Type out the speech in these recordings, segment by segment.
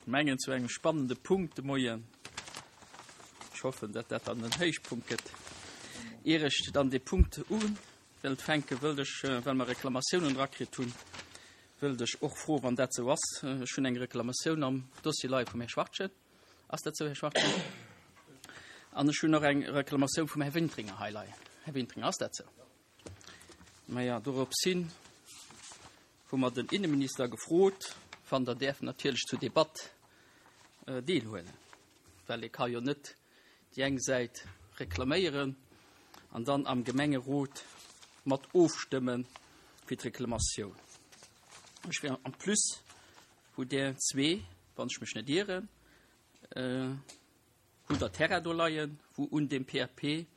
Mengen zu engem spannende Punkt de Moien. Ech hoffen, datt dat dann den Héichpunkt gëtt. Ier ech dann dee Punkt u wëllt fänken, wëllt ech, well mer Reklamatiounen erakritt hunn, wëllt ech och froen, wann dat esou ass, ech hunn eng Reklamatioun am Dossier leie vum Här Schwartgen. Ass dat esou, Här Schwartgen? An ech hunn och eng Reklamatioun vum Här Wintringer hei leien. Här Wintringer, ass dat esou? Maja, dorops hin hu mer den Inneminister gefrot, wann der däerf natierlech zur Debatt deelhuelen, well ee ka jo net déi eng Säit reklaméieren an dann am Gemengerot mat ofstëmme fir d'Reklamatioun. Ech wär en plus hutt Der zwee, wann ech mech net ieren, hutt Der Terrain do leien, wou un dem PAP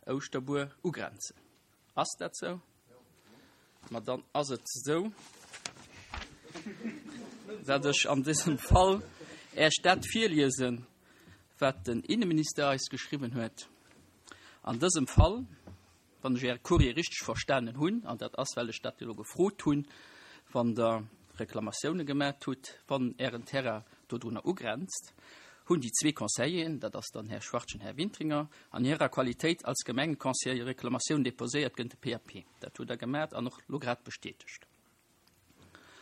Ouschterbuer ugrenzen. Ass dat sou? Ma dann ass et esou, dat ech an dësem Fall Äech dat virliesen, wat den Inneminister eis geschriwwen huet. An dësem Fall, wann ech Äre Courrier richteg verstanen hunn, an dat ass, well ech dat elo gefrot hunn, wann Der Reklamatioune gemat hutt, wann Ären Terrain dodrunner ugrenzt, hunn déi zwee Conseilleren, dat ass dann Här Schwartgen, Här Wintringer, an hirer Qualitéit als Gemengeconseiller Reklamatioun deposéiert géint de PAP. Dat hutt Der gemat an och elo grad bestätegt.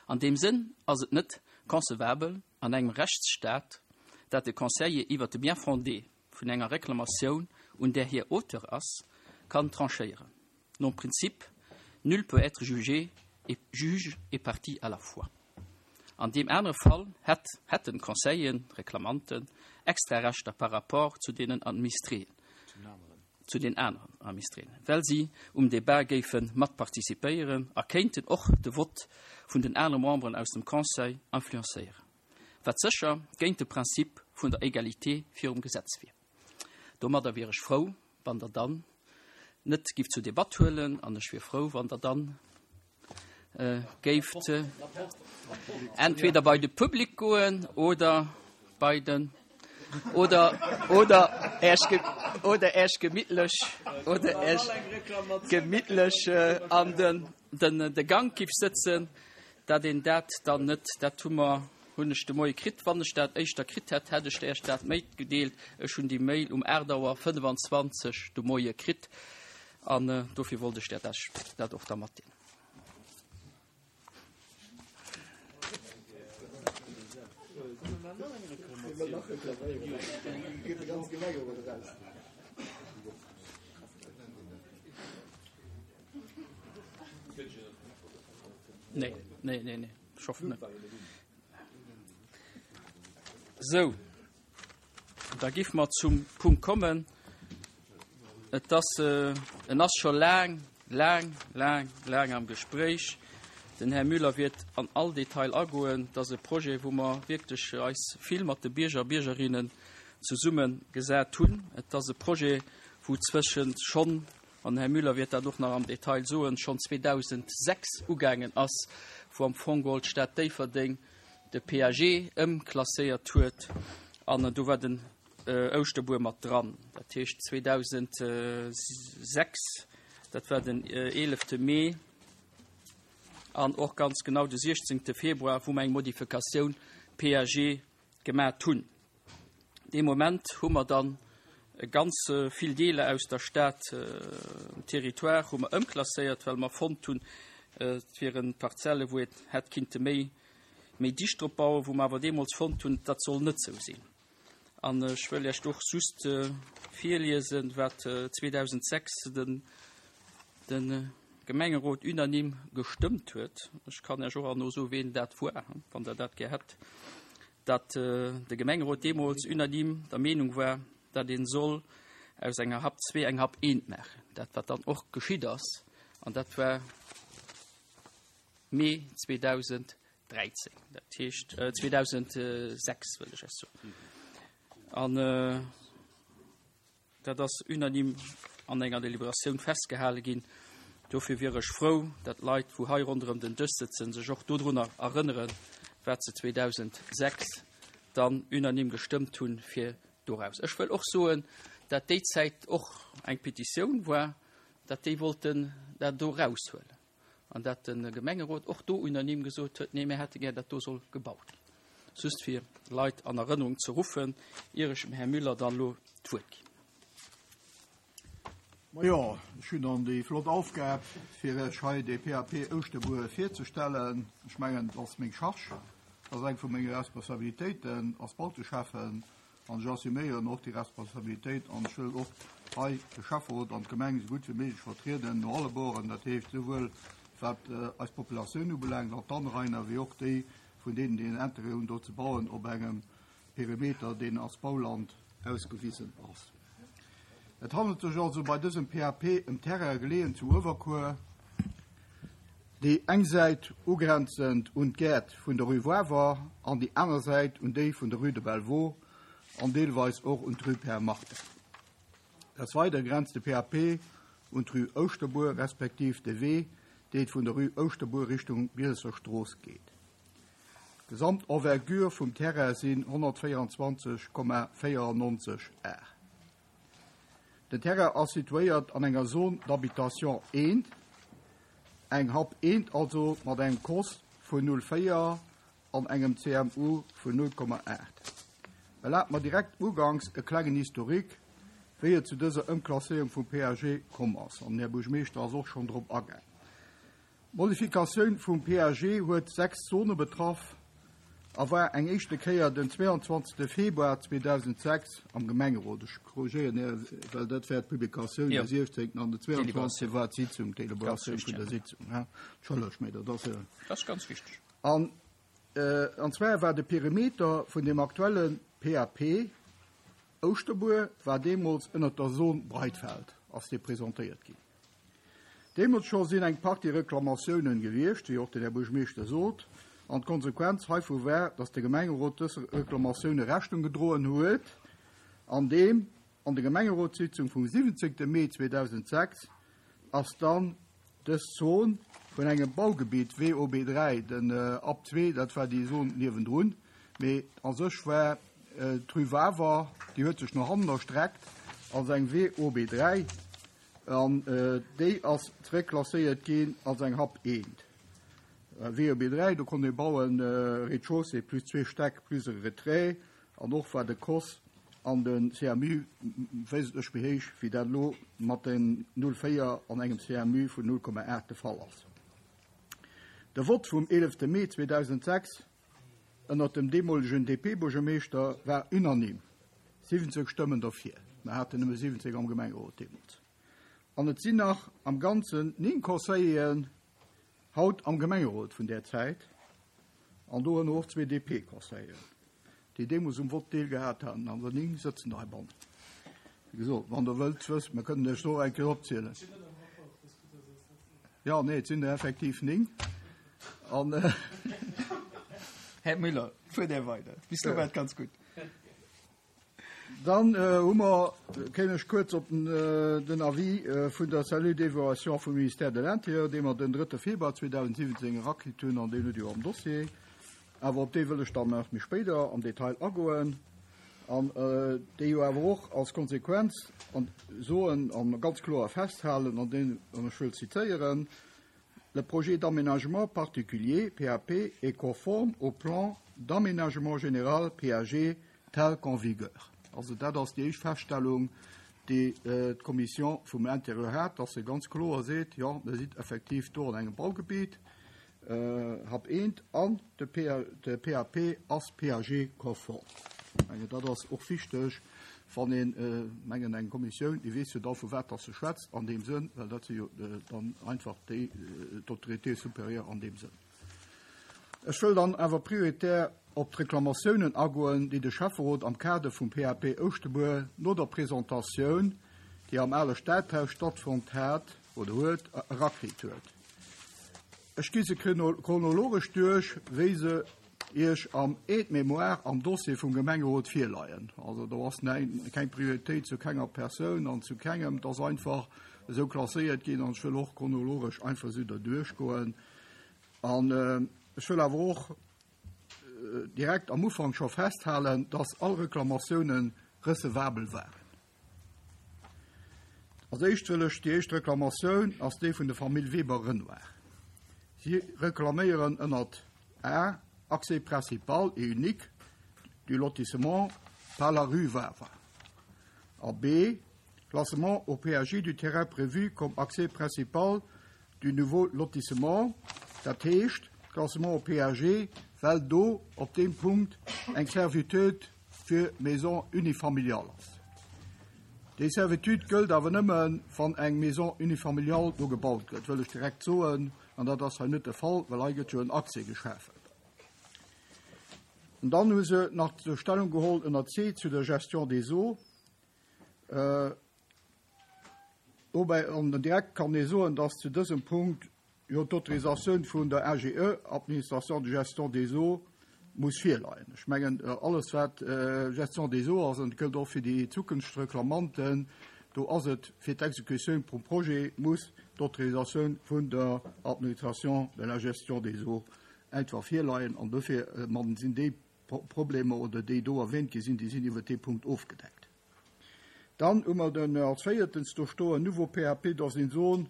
An deem Sënn ass et net concevabel an engem Rechtsstaat, dat de Conseiller iwwert de Bien-fondé vun enger Reklamatioun, un där hie Auteur ass, kann tranchéieren, nom Prinzip nul peut être jugé et juge et partie à la fois. An deem anere Fall hätt hätten d'Conseilleren, Reklamanten, extra Rechter par rapport zu deenen Administréen, zu den aneren Administréen, well si um Débat géife mat participéieren a kéinten och de Vott vun den anere Memberen aus dem Conseil influencéieren, wat sécher géint de Prinzip vun der Egalité virum Gesetz wier. Domadder wier ech frou, wann Der dann net gift zur Debatt huelen, an ech wier frou, wann Der dann géift entweder bei de Public goen oder bei den oder oder Äech oder Äech gemittlech oder Äech gemittlech an den den de Gank giff sëtzen, dat een dat dann net, dat hu mer, hunn ech de Moie kritt. Wann ech dat éischter kritt hätt, hätt ech Äech dat matgedeelt. Ech hunn déi Mail um 8 Auer 25 de Moie kritt an dofir wollt ech Äech dat och da matdeelen. Nee, nee, nee, nee. Ech hoffen net. Sou, da giff mer zum Punkt kommen. Et ass, en ass scho laang, laang, laang, laang am Gespréich. Den Här Müller wäert an all Detail agoen. Et ass e Projet, wou mer wierklech eis vill mat de Bierger a Biergerinnen zesumme gesat hunn. Et ass e Projet, wou zwëschent schonn, an den Här Müller wäert dat och nach am Detail soen, schonn 2006 ugaangen ass, wou am Fong geholl d'Stad Déifferdeng de PAG ëmklasséiert huet an do war den Ouschterbuer mat dran. Dat heescht 2006, dat war den 11. Mee an och ganz genau de 16. Februar, wou mer eng Modifikatioun PAG gemat hunn. Dee Moment hu mer dann ganz vill Deeler aus der Stad, Territoire hu mer ëmklasséiert, well mer fonnt hunn, et wiere Parzelle wou een hätt kinnte méi méi dicht drop bauen, wou mer awer deemools fonnt hunn, dat soll net sou sinn. An ech wëll Iech och just virliesen, wat 2006 den de Gemengerot unanime gestëmmt huet. Ech kann Iech och herno soen, ween dat war, wann Der dat gär hätt. datt de Gemengerot deemools unanime der Meenung war, datt ee soll aus enger Hap 2 eng Hap 1 maachen, dat wat dann och geschitt ass, an dat war Mee 2013, dat heescht 2006 wëll ech eis soen. An Dat ass unanime an enger Deliberatioun festgehale ginn. Dofir wier ech frou, datt d'Leit, wou hei ronderëm den Dësch sëtzen, sech och dodrunner erënneren, wat se 2006 dann unanime gestëmmt hunn, fir doraus. Ech wëll och soen, dat déi Zäit och eng Petitioun war, datt déi wollten dat do eraushuelen. An dat de Gemengerot och do unanime gesot huet, Nee, mir hätte gär, datt do soll gebaut ginn. Just fir d'Leit an Erënnerung ze ruffen, ier ech dem Här Müller dann elo d'Wuert ginn. Majo, ech hunn dann déi flott Aufgab, fir Iech hei de PAP Ouschterbuer virzestellen. Ech mengen, et ass meng Charge, et ass eng vu menge Responsabilitéiten als Bauteschäffen an ech assuméieren och déi Responsabilitéit an ech wëll och hei de Schäfferot an d'Gemeng esou gutt wéi méiglech vertrieden no alle Boren, dat heescht souwuel wat eis Populatioun ubelaangt an d'Anrainer, wéi och déi vun deenen, déi en Intérêt hunn do ze bauen op engem Perimeter, deen als Bauland ausgewisen ass. Et handelt sech also bei dësem PAP ëm Terraine geleeën zu Uewerkuer, déi eng Säit ugrenzend un d'Gäert vun der Rue Wawer an déi aner Säit un déi vun der Rue de Belvaux an deelweis och un d'Rue Père Martin. Des Weidere grenzt de PAP un d'Rue Ouschterbuer respektiv de Wee, dee vun der Rue Ouschterbuer Richtung Bielesser Strooss geet. D'Gesamt Envergure vum Terrain sinn 124,94 Ar. Den Terrain ass situéiert an enger Zone d'habitation I, eng Hab I also mat engem Cos vun 0,4 an engem CMU vun 0,8. Erlaabt mer direkt uganks e klengen Historique, wéi et zu dëser Ëmklasséierung vum PAG komm ass, an den Här Buergermeeschter ass och schonn drop agaang. D'Modifikatioun vum PAG huet 6 Zone betraff a war eng éischte Kéier den 22. Februar 2006 am Gemengerot. Ech korrigéieren Här, well dat war d'Publikatioun de 16. an de 22. war d'Sitzung, d'Deliberatioun vun der Sitzung. Entschëllegt, mä dat ass. Dat ass ganz wichteg. An, an zwar war de Perimeter vun dem aktuelle PAP Ouschterbuer war deemools ënnert der Zone Breitfeld ass dee presentéiert ginn. Deemools scho sinn eng Partie Reklamatiounen gewiescht, wéi och den Här Buergermeeschter sot, an d'Konsequenz heivu war, dass de Gemengerot dës Reklamatioune Rechnung gedroen huet, andeem an der Gemengerotssitzung vum 17. Mee 2006 ass dann dës Zon vun engem Baugebitt WOB 3, den App 2, dat war déi Zon niewendrun, mee a sech war d'Rue Wawer, déi huet sech no hannen erstreckt als eng WOB 3, An déi ass zeréckklasséiert ginn als eng Hab eent. WOB 3, do konnt ee bauen, Rez-de-chaussée plus zwee Stäck plus e Retrait. An och war de Cos an de CMU wéisentlech méi héich, wéi dat elo mat den 0,4 an engem CMU vun 0,8 de Fall ass. De Vott vum 11 Mee 2006 ënnert dem deemolegen DP-Buergermeeschter war unanime, 70 Stëmmen derfir. Mer haten nëmme 70 am Gemengerot deemools. An et sinn nach am Ganzen 9 Conseilleren haut am Gemengerot vun där Zäit, an dorënner och zwee DP-Conseilleren, déi deemools um Vott deelgehat haten. An der 9 sëtzen der heibannen. Wéi gesot, wann Der wëllt wësst, mer kënnen lech se och eng Kéier opzielen. Jo, nee, et sinn der effektiv 9. An. Här Müller, fuert Där weider. Bis elo war et ganz gutt. Dann hu mer, kéim ech kuerz op den Avis vun der Cellule d'évaluation vum Ministère de l'Intérieur, dee mer den 3. Februar 2017 erakritt hunn, an deen hutt Dir jo am Dossier. Awer op dee wëll ech dann nach méi spéider am Detail agoen, an déi jo awer och als Konsequenz soen a ganz kloer festhalen, an deen, an ech wëll zitéieren, Le projet d'aménagement particulier, PAP, est conforme au plan d'aménagement général, PAG, tel qu'en vigueur. Also dat ass déi éischt Feststellung, déi d'Commission vum Intérieur hat, dass se ganz kloer seet, jo, mir sinn effektiv do an engem Baugebiet, Hab eent an de PAP ass PAG-konform. Ech mengen, dat ass och wichteg, wann een, mengen, eng Kommissioun, déi weess jo da vu wat dass se schwätzt an deem Sënn, well dat si jo dann einfach déi, d'Autorité supérieure an deem Sënn. Ech wëll dann awer prioritär op d'Reklamatiounen agoen, déi de Schäfferot am Kader vum PAP Ouschtebuer no der Presentatioun, déi am ale Stadhaus stattfonnt hat oder huet, erakritt huet. Ech gi se chronologesch duerch, wéi se Iech am Aide-mémoire am Dossier vum Gemengerot virleien. Also do ass keng Prioritéit zu kenger Persoun an zu kengem. Et ass einfach esou klasséiert ginn an ech wëll och chronologesch einfach esou derduerch goen. An ech wëll awer och direkt am Ufank scho festhalen, dass all Reklamatiounen recevabel waren. Als éischt wëll ech, déi éischt Reklamatioun ass déi vun der Famill Weber-Renoir. Si reklaméieren ënnert a. Accès principal et unique du lotissement par la rue Wawer. A B, Classement au PAG du terrain prévu comme accès principal du nouveau lotissement, dat heescht Classement au PAG, well do op deem Punkt eng Servitude fir Maisons unifamiliales ass. Déi Servitude gëllt awer nëmme, wann eng Maison unifamiliale do gebaut gëtt, wëll ech direkt soen, an dat ass hei net de Fall, well hei gëtt jo en Accès geschafen. An dann hu se nach Stellung geholl ënner C zu der Gestion des eaux. Dobäi an direkt kann ee soen, dass zu dësem Punkt jo d'Autorisatioun vun der AGE, Administration de gestion des eaux, muss virleien. Ech mengen, alles wat Gestion des eaux ass, an dat gëllt och fir déi zukünfteg Reklamanten, do ass et fir d'Exekutioun vum Projet muss d'Autorisatioun vun der Administration de la gestion des eaux einfach virleien. An dofir sinn déi Problemer oder déi do erwähnt gi sinn, déi sinn iwwert dee Punkt ofgedeckt. Dann hu mer den als véiertens do stoen, Nouveau PAP dans une zone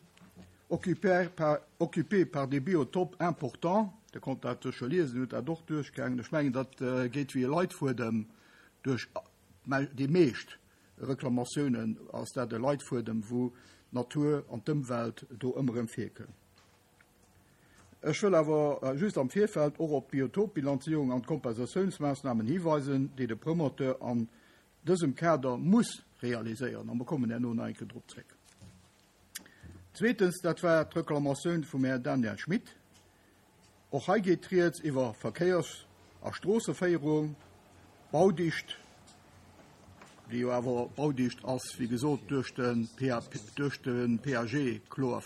occupée par, occupée par des biotopes importants. Der konnt dat sécher liesen, hutt dat och duerchgaangen. Ech mengen, dat geet wéi e Leitfuedem duerch déi meescht Reklamatiounen, ass dat e Leitfuedem, wou d'Natur an d'Ëmwelt do ëmmer erëm virkënn. Ech wëll awer just am Virfeld och op d'Biotopbilanzierung an d'Kompensatiounsmaassnamen hiweisen, déi de Promoteur an dësem Kader muss realiséieren, a mer kommen herno nach eng Kéier drop zréck. Zweetens, dat war d'Reklamatioun vum Här Daniel Schmit. Och hei geet Rieds iwwer Verkéiers a Stroosseféierung, Baudicht, déi jo awer Baudicht ass, wéi gesot, duerch de PAP, duerch de PAG kloer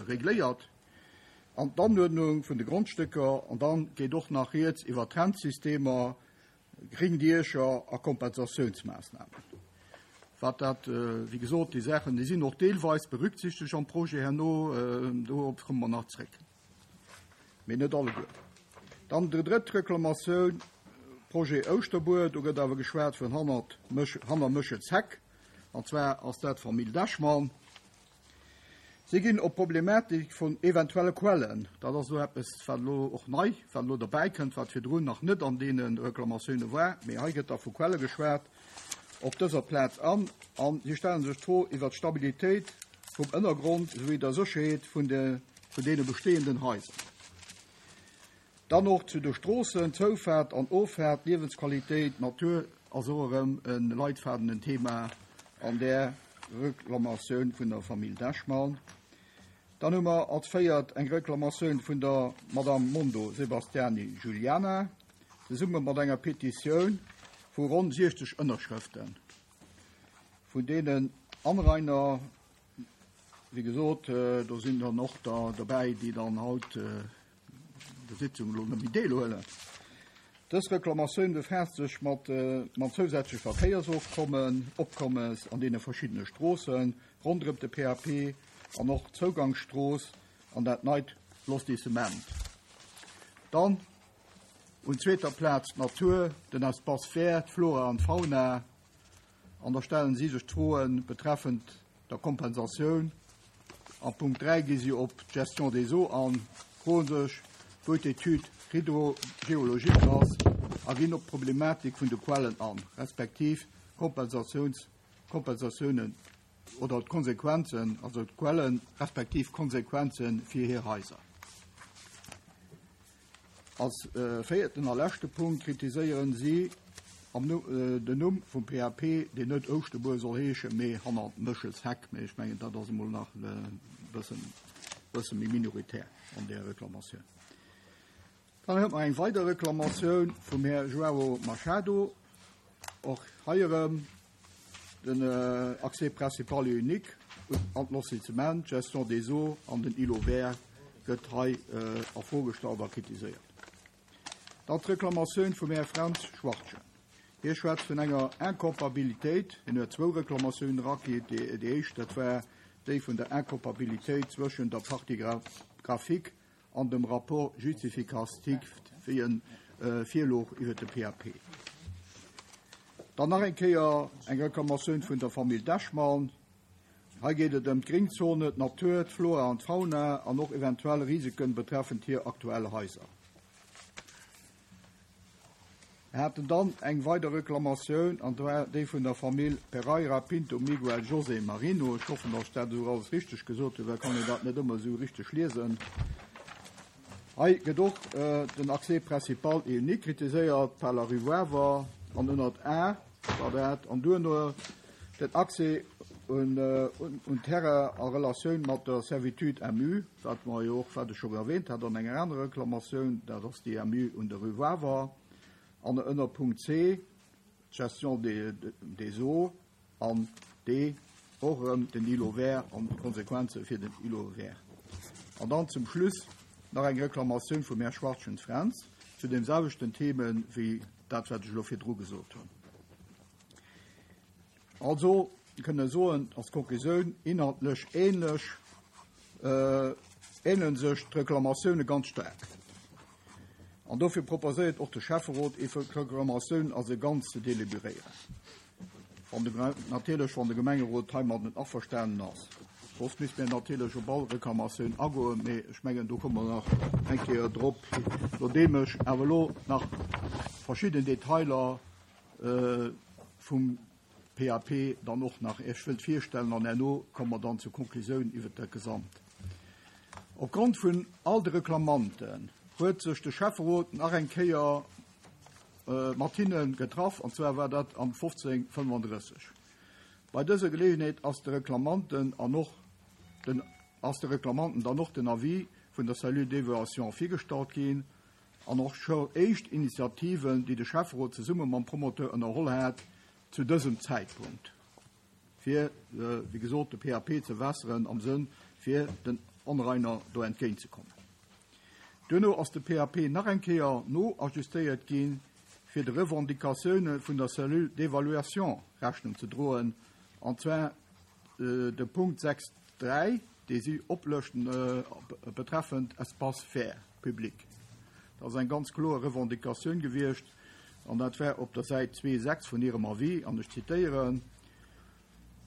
regléiert, an d'Anuerdnung vun de Grondstécker. An da geet och nach Rieds iwwer Trennsystemer, gréng Diecher a Kompensatiounsmaassnamen. Wat dat, wéi gesot, déi Saachen, déi sinn och deelweis berücksichtegt am Projet herno, dorop komme mer nach zréck. Mee net alleguer. Dann déi drëtt Reklamatioun, Projet Ouschterbuer. Do gëtt awer geschwat vun hannert Méch, hanner Méchelsheck. An zwar ass dat d'Famill Dechmann. Si ginn op d'Problematik vun eventuelle Quellen, dat ass elo eppes, wat elo och nei, wat elo derbäikënnt, wat virdrun nach net an deene Reklamatioune war, mee hei gëtt da vu Quelle geschwat, op dëser Plaz an. A si stelle sech d'Fro iwwert d'Stabilitéit vum Ënnergrond souwéi der Sécherheet vun de vun deene bestehenden Haiser. Dann och zu de Stroossen, Zoufaart an Offaart, Liewensqualitéit, Natur ass och erëm e Leitfaden, en Thema an där Reklamatioun vun der Famill Dechmann. Dann hu mer als véiert eng Reklamatioun vun der Madame Mondo Sebastiani Giuliana, zesumme mat enger Petitioun vu ronn 60 Ënnerschrëften vun deenen Anrainer, Wéi gesot, do sinn dann och der dobäi, déi dann haut der Sitzung elo net méi deelhuelen. Dës Reklamatioun befaasst sech mat mam zousätzleche Verkéiersofkommen, Opkommes an deene verschiddene Stroosse ronderëm de PAP an och d'Zougangsstrooss an dat neit Lotissement. Dann un zweeter Plaz d'Natur, den Espace vert, d'Flora an d'Fauna. An da stellen si sech d'Froe betreffend der Kompensatioun. A Punkt 3 gi si op d'Gestion des eaux an, froe sech, wou d'Étude hydrogéologique ass a ginn op d'Problematik vun de Quellen an, respektiv Kompensatiouns, Kompensatiounen oder d'Konsequenzen, also d'Quellen respektiv d'Konsequenze fir hir Haiser. Als véierten a leschte Punkt kritiséieren si den Numm vum PAP, deen net Ouschterbuer soll heeschen, mee Hannert Méchelsheck. Mee ech mengen, dat ass emol nach e bësse méi minoritär an där Reklamatioun. Dann huet mer eng weider Reklamatioun vum Här João Machado. Och hei erëm den Accès principal et unique an d'Lotissement, d'Gestion des eaux an den Îlot vert gëtt hei a Fro gestallt a kritiséiert. Dann d'Reklamatioun vum Här Fränz Schwartgen. Hie schwätzt vun enger Incompabilitéit. Hien huet zwou Reklamatiounen eragitt. Déi éischt, dat war déi vun der Incompabilitéit zwëschen der Partie graphique an dem Rapport justificatif, wéi e virlooch iwwert de PAP. Dann nach eng Kéier eng Reklamatioun vun der Famill Dechmann. Hei geet et ëm d'Gringzone, d'Natur, d'Flora an d'Fauna an och eventuell Risiken betreffend hir aktuell Haiser. Mir haten dann eng weider Reklamatioun, an zwar déi vun der Famill Pereira Pinto Miguel José Marino. Ech hoffen, datt ech dat esou alles richteg gesot hunn, well kann een dat net ëmmer esou richteg liesen. Hei gëtt och den Accès principal et unique kritiséiert par la rue Wawer an ënnert A war dat, an duerno den Accès un un Terrain a Relatioun mat der Servitude MU, wat mer jo och, wat ech scho erwähnt hat an enger anerer Reklamatioun, dat ass déi MU un der rue Wawer, an ënner Punkt C d'Gestion des eaux an D och erëm den Îlot vert an d'Konsequenze fir den Îlot vert. An dann zum Schluss nach eng Reklamatioun vum Här Schwachtgen Fränz zu deem selwechten Theme wéi dat, wat ech elo virdru gesot hunn. Also kënne soen als Konklusioun, inhaltlech ähnlech, ähnele sech d'Reklamatioune ganz staark. An dofir proposéiert och de Schäfferot, ee Reklamatioun als e Ganzt ze deliberéieren. Wann de, natierlech wann de Gemengerot heimadden averstanen ass. Soss misst mir natierlech op all Reklamatioun agoen, mee ech mengen, do komme mer nach eng Kéier drop, nodeem ech awer elo nach verschidden Detailer vum PAP dann och nach Iech wëllt virstellen an herno komme mer dann zur Konklusioun iwwert dat Gesamt. Opgrond vun all de Reklamanten huet sech de Schäfferot nach eng Kéier mat hinne getraff, an zwar war dat am 1535. Bei dëser Geleeënheet ass de Reklamanten an och den ass de Reklamanten dann och den Avis vun der Cellule d'évaluation virgestallt ginn an och scho éischt Initiativen, déi de Schäfferot zesumme mam Promoteur ënnerholl hat zu dësem Zäitpunkt, fir, wéi gesot, de PAP ze wässeren am Sënn fir den Onrainer do entgéintzekommen. Duerno ass de PAP nach eng Kéier noajustéiert ginn, fir de Revendicatioune vun der Cellule d'évaluation Rechnung ze droen, an zwar de Punkt 6, 3, dee si oplëschten betreffend Espace vert public. Dat ass eng ganz kloer Revendicatioun gewiescht, an dat war op der Säit 2, 6 vun hirem Avis, an ech zitieren,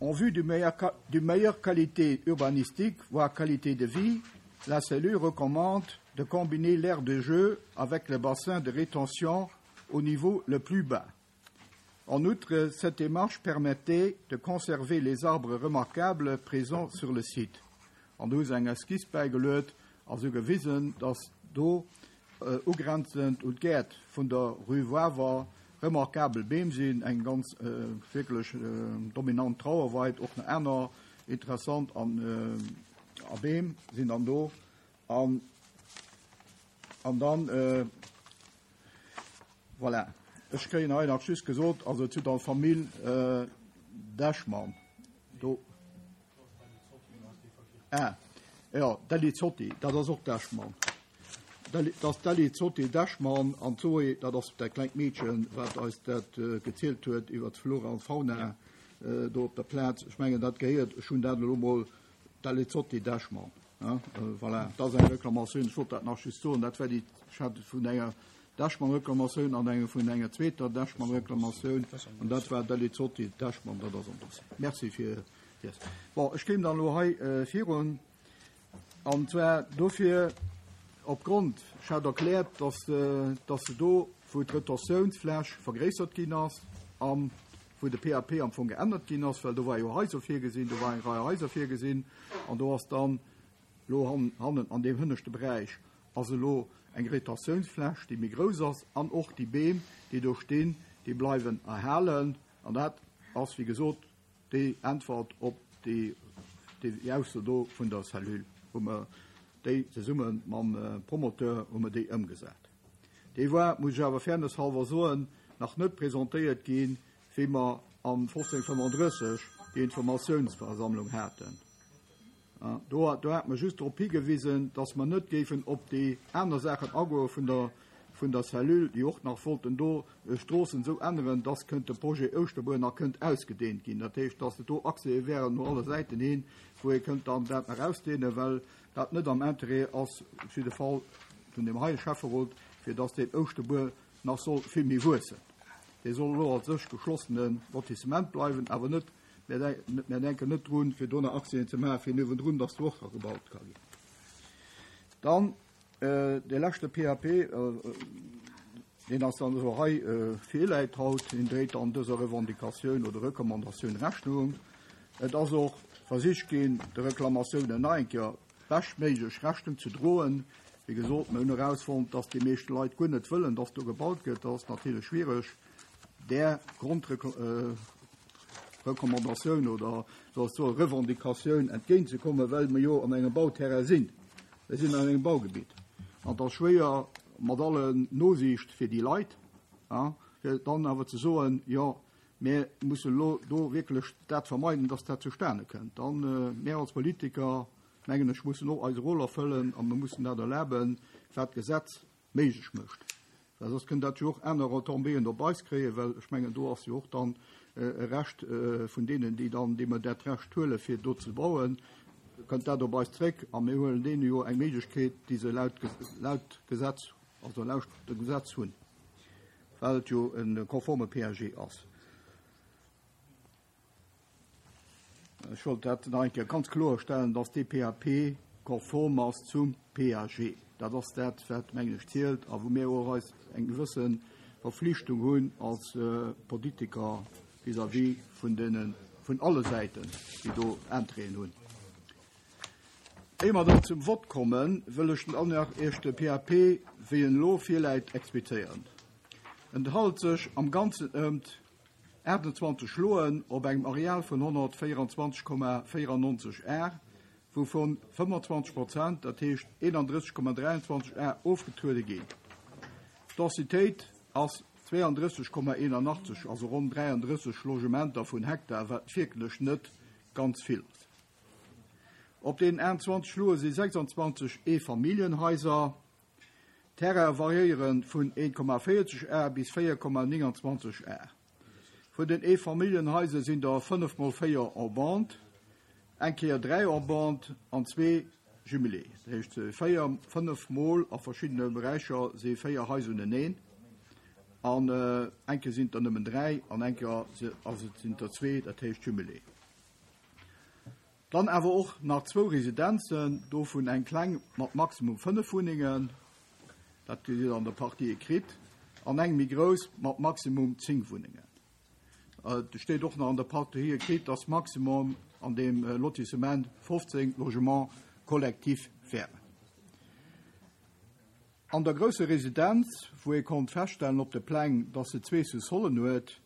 En vue d'une meilleure, meilleure qualité urbanistique, voire qualité de vie, la cellule recommande de combiner l'aire de jeu avec le bassin de rétention au niveau le plus bas. En outre, cette démarche permettait de conserver les arbres remarquables présents sur le site. An do hu se eng Esquisse bäigeluet a se hu gewisen, dass do ugrenzend un d'Gäert vun der Rue Wawer remarquabel Beem sinn, eng ganz wierklech dominant Trauerweid, och nach aner interessant a Beem sinn dann do. An dann, Voilà, ech kréien hei nach just gesot, also zu der Famill Dechmann do. Ah, jo, Delli Zotti, dat ass och Dechmann. Dat ass Delli Zotti Dechmann an d'Zoé, dat ass dat klengt Meedchen, wat eis dat gezielt huet iwwer d'Flora an d'Fauna do op der Plaz. Ech mengen, dat gehéiert, ech hunn dat elo mol Delli Zotti Dechmann. Voilà, dat ass eng Reklamatioun, ech wollt dat nach just soen, dat war déi, ech hat vun enger Dechmann-Reklamatioun an enge vun enger zweeter Dechmann-Reklamatioun, an dat war Delli Zotti Dechmann, dat ass am Dossier. Merci fir Iers. Bon, ech kéim dann elo hei virun, an zwar dofir, opgrond, ech hat erkläert, dass, dass se do, wou d'Retentiounsfläch vergréissert ginn ass a wou de PAP am Fong geännert ginn ass, well do war jo Haiser virgesinn, do war eng Rei Haiser virgesinn, an do ass dann elo hannen an deem hënneschte Beräich ass elo eng Retentiounsfläch, déi méi grouss ass, an och déi Beem, déi do stinn, déi bleiwen erhalen. An dat ass, wéi gesot, déi Äntwert op déi Ausso do vun der Cellule, wou mer déi zesumme mam Promoteur hu mer déi ëmgesat. Déi war, muss ech awer fairness-halber soen, nach net presentéiert ginn, wéi mer am 1535 déi Informatiounsversammlung haten. Do hate mer just drop higewisen, dass mer net géifen op déi aner Saachen agoe vun der, vun der Cellule, déi och nach wollten do Stroossen esou änneren, dass kënnt de Projet Ouschterbuer nach kënnt ausgedehnt ginn. Dat heescht, dass et do Accèse wären no alle Säiten hin, wou ee kënnt dann dat nach ausdehnen, well dat net am Interêt ass, op jidde Fall vun deem heie Schäfferot, fir dass deen Ouschterbuer nach soll vill méi wuessen. Dee soll elo als sech geschlossene Lotissement bleiwen, awer net, mir denken net drun, fir do nach Accèsen ze maachen, fir niewendrun, dass do och nach gebaut ka ginn. Dann dee leschte PAP. Deen ass dann elo hei virläit haut. Deen dréit dann dëser Revendicatioun oder Recommandatioun Rechnung. Et ass och versicht ginn, de Reklamatiounen nach eng Kéier beschtméiglech Rechnung ze droen. Wéi gesot, mir hunn erausfonnt, dass déi meescht Leit guer net wëllen, dass do gebaut gëtt. Dat ass natierlech schwiereg, där Grondrecommandatioun oder soll ech soen, Revendicatioun entgéintzekommen, well mir jo an engem Bauterrain sinn. Mir sinn an engem Baugebitt an et ass schwéier, mat alle Nosiicht fir déi Leit, fir dann awer ze soen, jo, mir mussen elo do wierklech dat vermeiden, dass dat zustane kënnt. Dann, mir als Politiker, mengen ech, mussen och eise Rôle erfëllen a mir mussen dat erlaben, wat d'Gesetz méiglech mécht. Well soss kënnt dat jo och aner Retombéeën op eis kréien, well ech mengen, do ass jo och dann e Recht vun deenen, déi dann, déi mer dat Recht huelen, fir do ze bauen, kënnt dat op eis zréck a mir huelen deene jo eng Méiglechkeet, déi se laut, laut Gesetz, also laut dem Gesetz hunn, well et jo e konforme PAG ass. Ech wollt dat nach eng Kéier ganz kloerstellen, dass dee PAP konform ass zum PAG. Dat ass dat, wat, mengen ech, zielt a wou mir och eis eng gewësse Verflichtung hunn als Politiker vis-à-vis vun deene, vun alle Säiten, déi do Intérêten hunn. Éier mer dann zum Vott kommen, wëll ech dann nach Iech de PAP, wéi en elo virläit, explizéieren. En handelt sech am Ganzen ëmt 28 Schloen op engem Areal vun 124,94 Ar, wouvun 25 Prozent, dat heescht 31,23 Ar, ofgetruede ginn. D'Densitéit ass 32,81, also ronn 33 Logementer vun Hektar, wat wierklech net ganz vill ass. Op deenen 28 Schloe si 26 Eefamilljenhaiser. D'Terraine variéiere vun 1,40 Ar bis 4,29 Ar. Vun den Eefamilljenhaiser sinn der 5 mol 4 en bande, eng Kéier 3 en bande an zwee jumelé. Dat heescht 4, 5 mol a verschiddene Beräicher si 4 Haiser uneneen an eng Kéier sinn et der nëmmen 3 an eng Kéier sinn et der zwee, dat heescht jumelé. Dann awer och nach zwou Residenzen, dovun eng kleng mat maximum 5 Wunnengen, dat gesitt Der an der Partie écrite, an eng méi grouss mat maximum 10 Wunnengen. Et steet och nach an der Partie écrite, dass maximum an deem Lotissement 15 Logements collectifs wären. An der grousser Residenz, wou ee konnt feststellen op de Pläng, dass se zwee Sous-sollen huet,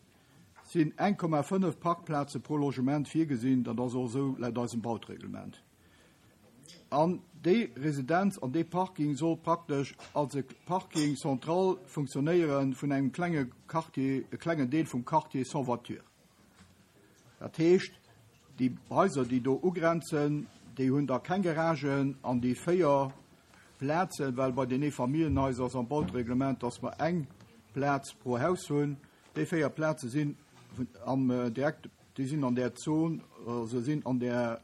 sinn 1,5 Parkplaze pro Logement virgesinn. Dat ass och esou laut eisem Bautreglement. An déi Residenz an dee Parking soll praktesch als e Parking central funktionéiere vun engem klenge Quartier, e klengen Deel vum Quartier sans voiture. Dat heescht, déi Haiser, déi do ugrenzen, déi hunn da keng Garagen an déi 4 Plazen, well bei den Eefamilljenhaiser ass am Bautereglement, dass mer eng Plaz pro Haus hunn, déi 4 Plaze sinn am direkt, déi sinn an där Zon, also sinn an där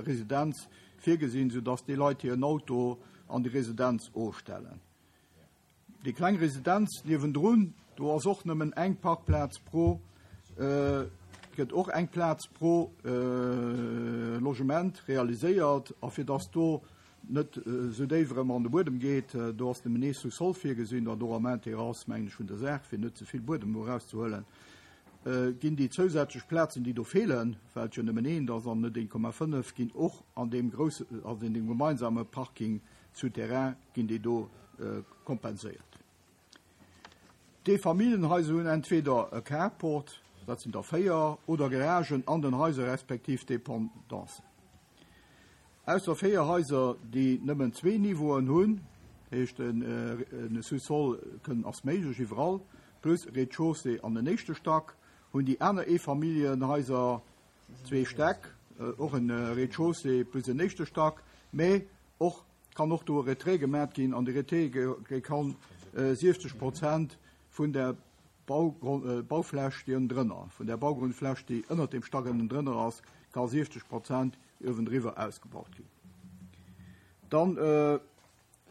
Residenz virgesinn, soudass déi Leit hiren Auto an déi Residenz ofstellen. Déi kleng Residenz niewendrun, do ass och nëmmen eng Parkplaz pro, gëtt och eng Plaz pro Logement realiséiert. A fir dass do net esou déif erëm an de Buedem geet, do ass nëmmen ee Sous-sol virgesinn, an och am Intérêt ass, mengen ech, vun der Saach, fir net ze vill Buedem do erauszehuelen, ginn déi zousätzlech Plazen, déi do feelen, well et jo nëmmen eent ass an net 1,5, ginn och an deem grousse, also an deem gemeinsame Parking souterrain ginn déi do kompenséiert. D'Eefamilljenhaiser hunn entweder e Carport, dat sinn der 4, oder Garagen an den Haiser respektiv Dependancen. Ausser 4 Haiser, déi nëmmen zwee Niveauen hunn, heescht e Sous-sol kënn ass méiglech iwwerall, plus Rez-de-chaussée an en éischte Stack, hunn déi aner Eefamilljenhaiser zwee Stäck, och en Rez-de-chaussée plus en éischte Stack, mä och kann och do e Retrait gemat ginn an de Retrait kann 70 Prozent vun der Baufläch, déi ënnendrënner, vun der Baugrundfläch, déi ënnert dem Stack ënnendrënner ass, ka 70 Prozent uewendriwwer ausgebaut ginn. Dann,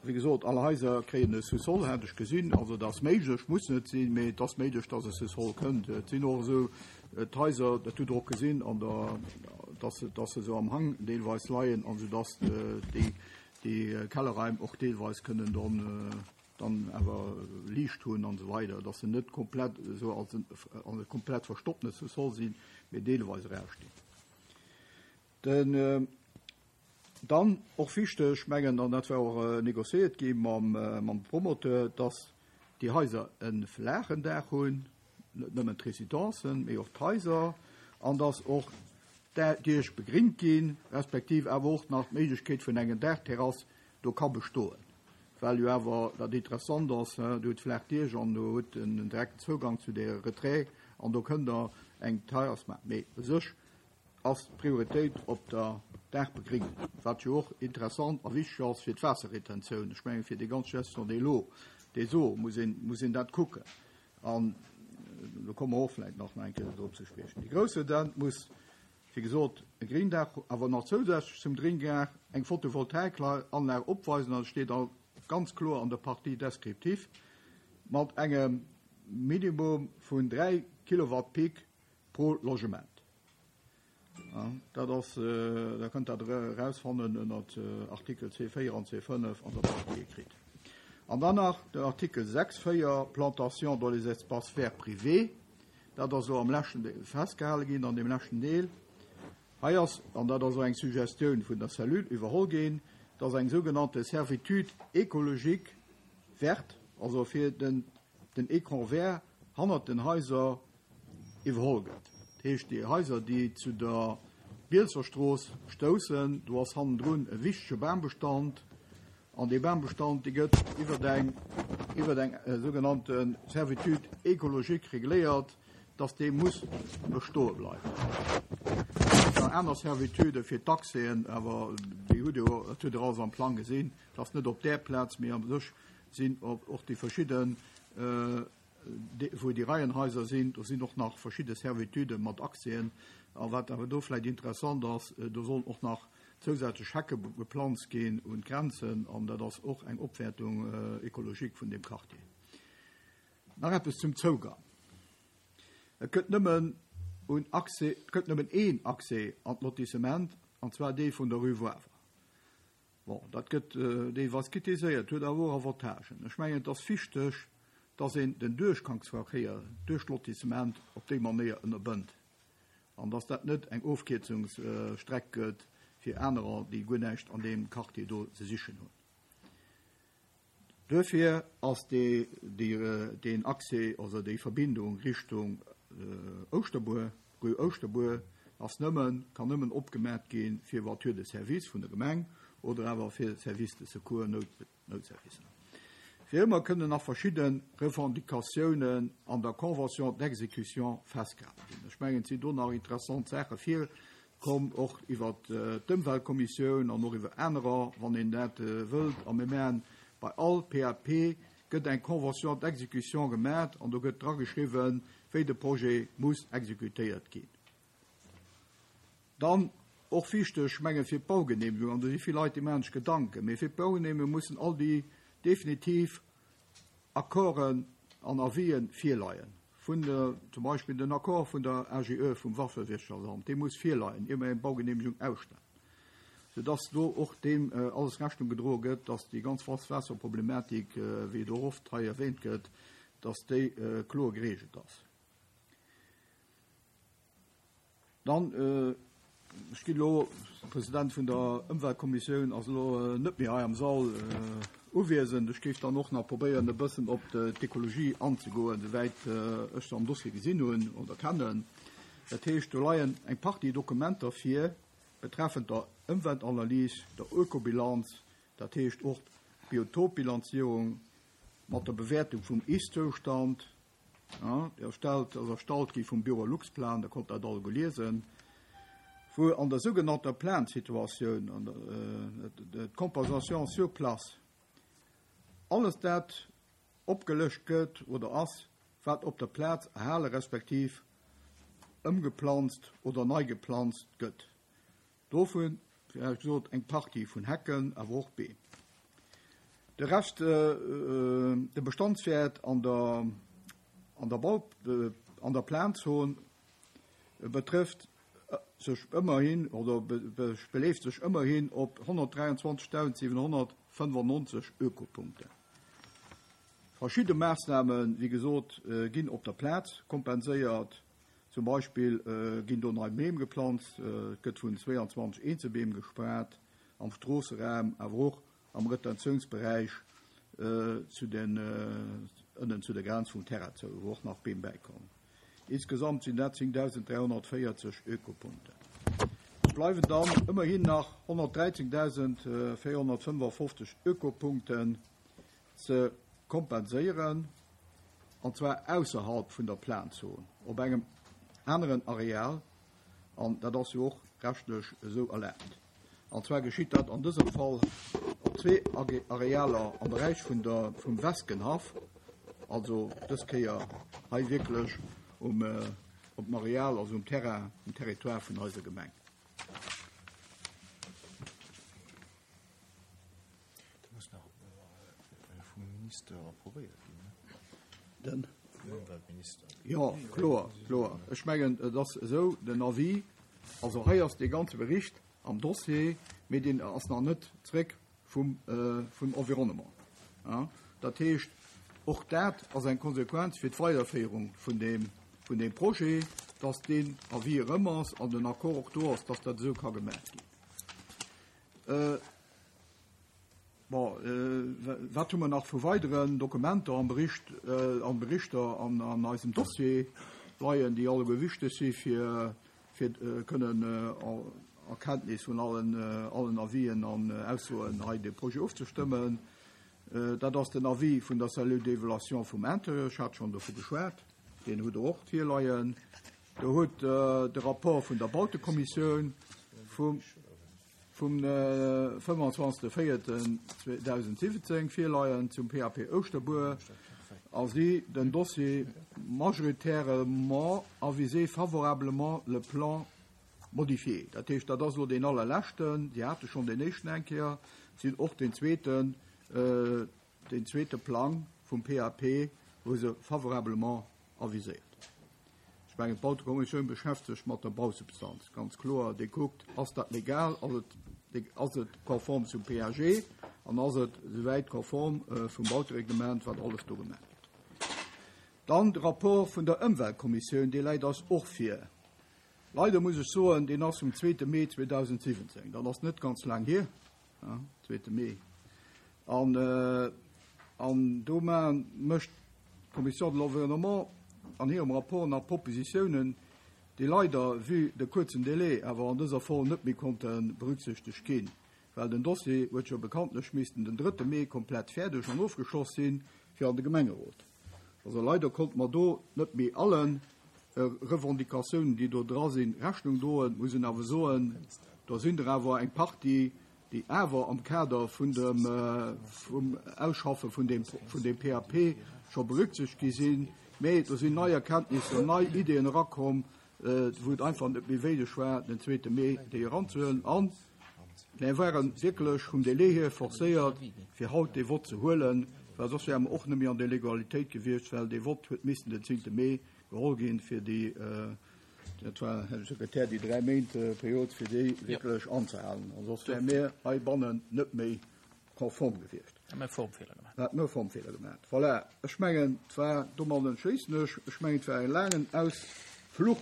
wéi gesot, all Haiser kréien e Sous-sol, hat ech gesinn. Also dat ass méiglech, muss net sinn, mee et ass méiglech, dass e Sous-sol kënnt. Et sinn och esou d'Haiser, dat hutt Der och gesinn an der, dass se, dass se esou am Hang deelweis leien, an soudass déi, déi Kellerraim och deelweis kënnen dann. Dann awer Liicht hunn an esou weider, dass se net komplett esou als en e komplett verstoppene Sous-sol sinn, mee deelweis erausstinn. Den dann och wichteg, mengen, an dat war och négociéiert gi mam mam Promoteur, dass déi Haiser e flaachen Daach hunn, net nëmmen d'Residencen, mee och d'Haiser, an dass och d'Diech begringt ginn, respektiv awer och nach d'Méiglechkeet vun enger Daachterrass do ka bestoen, well jo awer dat interessant ass, Dir hutt flaach Diech an do hutt en direkten Zougang zu der Retrait an do kënnt Der eng Terrass maachen. Mee u sech ass d'Prioritéit op der Daachbegringung, wat jo och interessant a wichteg ass fir d'Waasserretentioun. Ech mengen, fir déi ganz Gestion de l'eau, des eaux muss een, muss een dat kucken. An do komme mer och vläicht nach eng Kéier drop ze spriechen. Déi grouss Redent muss Wéi gesot, e Grindaach, awer nach zousätzlech zum Grindaach eng Photovoltaikanlag opweisen, an et steet all ganz kloer an der Partie descriptive, mat engem Minimum vun 3 Kilowatt Peak pro Logement. Dat ass, Der kënnt dat erausfannen ënnert Artikel C4 an C5 an der Partie écrite. An dann nach den Artikel 6, 4, Plantation dans les espaces verts privés. Dat ass elo am leschten Deel festgehale ginn, an deem leschten Deel hei ass, an dat ass och eng Suggestioun vun der Cellule iwwerholl ginn, dass eng sougenannte Servitude écologique verte, also fir den, den Écran vert hannert den Haiser iwwerholl gëtt. Dat heescht, déi Haiser, déi zu der Bielserstrooss stoussen, do ass hannendrun e wichtege Bambestand, An dee Bambestand, dee gëtt iwwer eng, iwwer eng sougenannte Servitude écologique regléiert, dass dee muss bestoe bleiwen. Et ginn nach aner Servitudë fir d'Accèsen, awer déi hutt Dir, dat hutt Der alles am Plang gesinn, dass net op där Plaz, mee a sech sinn och déi verschidden, wou déi Reihenhaiser sinn, do sinn och nach verschidde Servitudë mat Accèsen. A wat awer do vläicht interessant ass, do sollen och nach zousätzlech Hecke geplanzt ginn un d'Grenzen an dat ass och eng Opwäertung écologique vun deem Quartier. Nach eppes zum Zougang. Et gëtt nëmmen un Accès, et gëtt nëmmen een Accès an d'Lotissement, an zwar dee vun der Rue Woawer. Bon, dat gëtt deelweis kritiséiert, huet awer och Avantagen. Ech mengen, et ass wichteg, dass een den Duerchgangsverkéier duerch d'Lotissement op déi Manéier ënnerbënnt. An dass dat net eng Ofkierzungsstreck gëtt fir anerer, déi guer näischt an deem Quartier do ze sichen hunn. Duerfir ass deen Accès, also déi Verbindung Richtung Ouschterbuer, Rue Ouschterbuer, ass nëmmen, kann nëmmen opgemat gi fir Voiture de service vun der Gemeng oder awer fir Service de secours, Nout. Noutservicer. Wéi ëmmer kënnen nach verschidde Revendicatiounen an der Convention d'exécution festgehale ginn. Ech mengen, et sinn do nach interessant Saache virkomm, och iwwert d'Ëmweltkommissioun an och iwwer anerer, wann een dat wëllt. A mir maachen bei all PAP gëtt eng Convention d'exécution gemaach an do gëtt drageschriwwen, wéi de Projet muss exekutéiert ginn. Dann, och wichteg, ech menge fir d'Baugenehmegung, an do si vill Leit, déi maachen sech Gedanken, mee fir d'Baugenehmegung mussen all déi definitiv Accorden an Avisen virleien, vun der, zum Beispill den Accord vun der AGE vum Waffewirtschaftsamt, dee muss virleien, ier mer eng Baugenehmegung ausstellen, soudass do och deem alles Rechnung gedroe gëtt, dass déi ganz Waasserproblematik, wéi et och oft hei erwähnt gëtt, dass déi kloer geregelt ass. Dann, ech ginn elo, de President vun der Ëmweltkommissioun ass elo net méi hei am Sall uwiesend, ech géif dann och nach probéieren, e bëssen op d'Ekologie anzegoen, souwäit ech se am Dossier gesinn hunn oder kennen. Dat heescht, do leien eng Partie Dokumenter vir betreffend der Ëmweltanalys, der Ökobilanz, dat heescht och d'Biotopbilanzierung mat der Bewäertung vum Ist-Zoustand, Déi erstellt, ass erstallt gi vum Büro Luxplan, Der konnt dat alleguer liesen, wou an der sougenannter Plansituatioun, an der d'Compensation sur place, alles dat opgelëscht gëtt oder ass, wat op der Plaz erhale respektiv ëmgeplanzt oder nei geplanzt gëtt. Dovun, wéi hei gesot, eng Partie vun Hecken, awer och Beem. De Rescht, de Bestandswäert an der, an der Bau, an der Planzon betrëfft sech ëmmerhin oder beleeft sech ëmmerhin op 123.795 Ökopunkten. Verschidde Maassnamen, wéi gesot, ginn op der Plaz kompenséiert. Zum Beispill ginn do nei Beem geplanzt, et gëtt vun 22 Eenzelbeem gespaart am Stroosseraum, awer och am Retentiounsberäich zu den, ënnen zu der Grenz vum Terrain zou, wou och nach Beem bäikommen. Insgesamt sinn dat 10.340 Ökopunkten. Et bleiwen dann ëmmerhin nach 113.455 Ökopunkten ze kompenséieren, an zwar ausserhalb vun der Planzon, op engem aneren Areal, an dat ass jo och rechtlech esou erlaabt. An zwar geschitt dat an dësem Fall op zwee Arealer am Beräich vun der, vum Weskenhaff, also dës Kéier hei wierklech um, op dem Areal, also um Terrain, um Territoire vun eiser Gemeng. Dat muss nach vum Minister approvéiert ginn, ne? Den? Vum Ëmweltminister. Jo, kloer, kloer. Ech mengen, et ass esou, den Avis, also hei ass dee ganze Bericht am Dossier, mee deen ass nach net zréck vum, vum Environnement. Dat heescht, och dat ass eng Konsequenz fir d'Weiderféierung vun deem, vun deem Projet, dass deen Avis erëm ass an den Accord och do ass, dass dat esou ka gemaach ginn. Bon, wat hu mer nach vu weideren Dokumenter am Bericht, an Berichter an an eisem Dossier leien, déi alleguer wichteg si fir fir kënnen a Kenntnis vun allen allen Avisen an Aussoen hei de Projet ofzestëmmen. Dat ass den Avis vun der Cellule d'évaluation vum Intérieur, ech hat schonn dovu geschwat, deen hutt Der och virleien. Der hutt de Rapport vun der Bautekommissioun vum vum 25.04.2017 virleien zum PAP Ouschterbuer a si den Dossier majoritairement avisé favorablement le plan modifié. Dat heescht, dat ass elo deen allerleschten, si hate schonn deen éischten eng Kéier, si hunn och deen zweeten, deen zweete Plang vum PAP hu se favorablement aviséiert. Ech mengen, d'Bautekommissioun beschäftegt sech mat der Bausubstanz, ganz kloer. Déi kuckt, ass dat legal, ass et, ass et konform zum PAG an ass et souwäit konform vum Bautereglement, wat alles do gemaach gëtt. Dann de Rapport vun der Ëmweltkommissioun, dee läit eis och vir. Leider muss ech soen, deen ass vum zweete Mee 2017, dat ass net ganz laang hier. Zweete Mee. An, an do mécht d'Commission de l'Environnement an hirem Rapport nach Propositiounen, déi leider, vue de kuerzen Délai, awer an dëser Form net méi konnte berücksichtegt ginn, well den Dossier huet jo bekanntlech missten den drëtte Mee komplett fäerdeg an ofgeschloss sinn, fir an de Gemengerot. Also leider konnte mer do net méi allen Revendicatiounen, déi do dra sinn, Rechnung droen. Muss een awer soen, do sinn der awer eng Partie, déi awer am Kader vun dem, vum Ausschaffe vun deem, vun deem PAP scho berücksichtegt gi sinn. Mee do sinn nei Erkenntnisser, nei Ideeën erakomm, wou et einfach net méi wéileg war, den zweete Mee déi eranzehuelen. An mir ware wierklech vum Délai hier forcéiert, fir haut dee Vott ze huelen, well soss wäre mer och net méi an der Legalitéit gewiescht, well dee Vott huet missen den zéngte Mee geholl ginn, fir déi, dat war, Här Sekretär, déi 3 Méint Period, fir déi wierklech anzehalen. An soss wäre mir heibannen net méi konform gewiescht. Hätt mer e Formfeeler gemaach. Hätt mer e Formfeeler gemaach. Voilà, ech mengen, et war, domadden schléissen ech, ech mengen, et war e laangen Ausfluch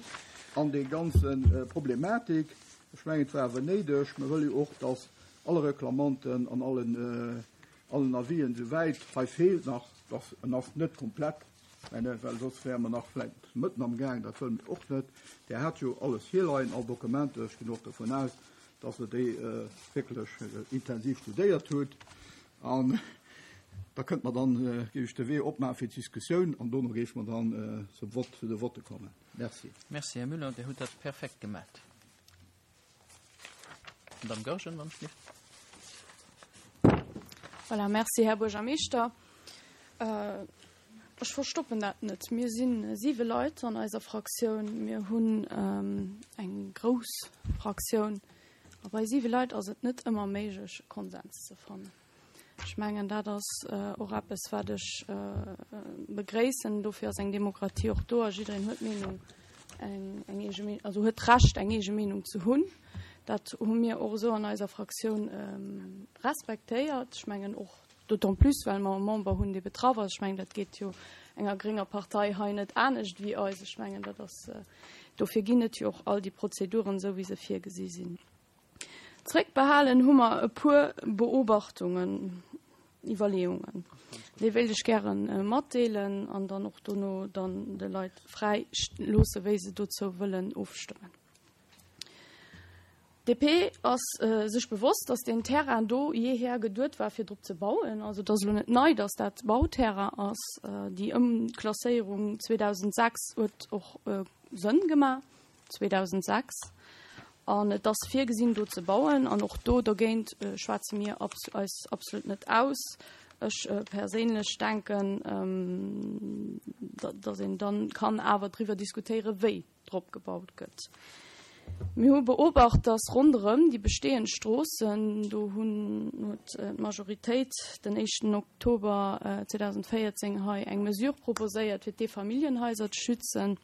an déi ganze Problematik. Ech mengen, et war awer néideg. Mir wëlle jo och, dass alle Reklamanten an allen, allen Avisen, souwäit hei feelt nach, dass en ass net komplett, mä well soss wäre mer nach vläicht mëtten am Gaang, dat wëlle mir och net. Dir hat jo alles virleien, all Dokumenter, ech ginn och dovun aus, dass Der déi wierklech intensiv studéiert hutt. An da kënnt mer dann, géif ech de Wee opmaache fir d'Diskussioun an dono géife mer dann zum Vott, zu de Votte kommen. Merci. Merci, Här Müller, Dir hutt dat perfekt gemat. Madame Goergen, wann ech dierf. Voilà, merci, Här Buergermeeschter. Ech verstoppen dat net, mir si siwe Leit an eiser Fraktioun. Mir hunn eng grouss Fraktioun a bei siwe Leit ass et net ëmmer méiglech, e Konsens ze fannen. Ech mengen, dat ass och eppes, wat ech begréissen. Dofir ass eng Demokratie och do a jiddereen huet d'Meenung, eng eege Meenung, also huet d'Recht, eng eege Meenung ze hunn. Dat hu mir och esou an eiser Fraktioun respektéiert. Ech mengen och. D'autant plus, well mer e Member hunn, dee betraff ass. Ech mengen, dat geet jo enger grénger Partei hei net anescht wéi eis. Ech mengen, dat ass, dofir ginn et jo och all déi Prozeduren, esou wéi se virgesi sinn. Zréckbehalen hu mer e puer Beobachtungen, Iwwerleeungen. Déi wéilt ech gäre matdeelen an dann och dono dann de Leit fräi loosse, wéi se dozou wëllen ofstëmmen. DP ass sech bewosst, datt deen Terrain do jeeher geduet war, fir drop ze bauen. Also et ass elo net nei, datt dat Bauterrain ass. Déi Ëmklasséierung 2006 huet och Sënn gemaach, 2006. An et ass virgesinn, do ze bauen. An och do dergéint schwätze mir eis absolut net aus. Ech perséinlech denken, datt een dann kann awer driwwer diskutéieren, wéi drop gebaut gëtt. Mir hu beobacht, dass ronderëm déi bestehend Stroossen, do hunn huet d'Majoritéit den éischten Oktober 2014 hei eng Mesure proposéiert, fir d'Eefamilljenhaiser ze schützen.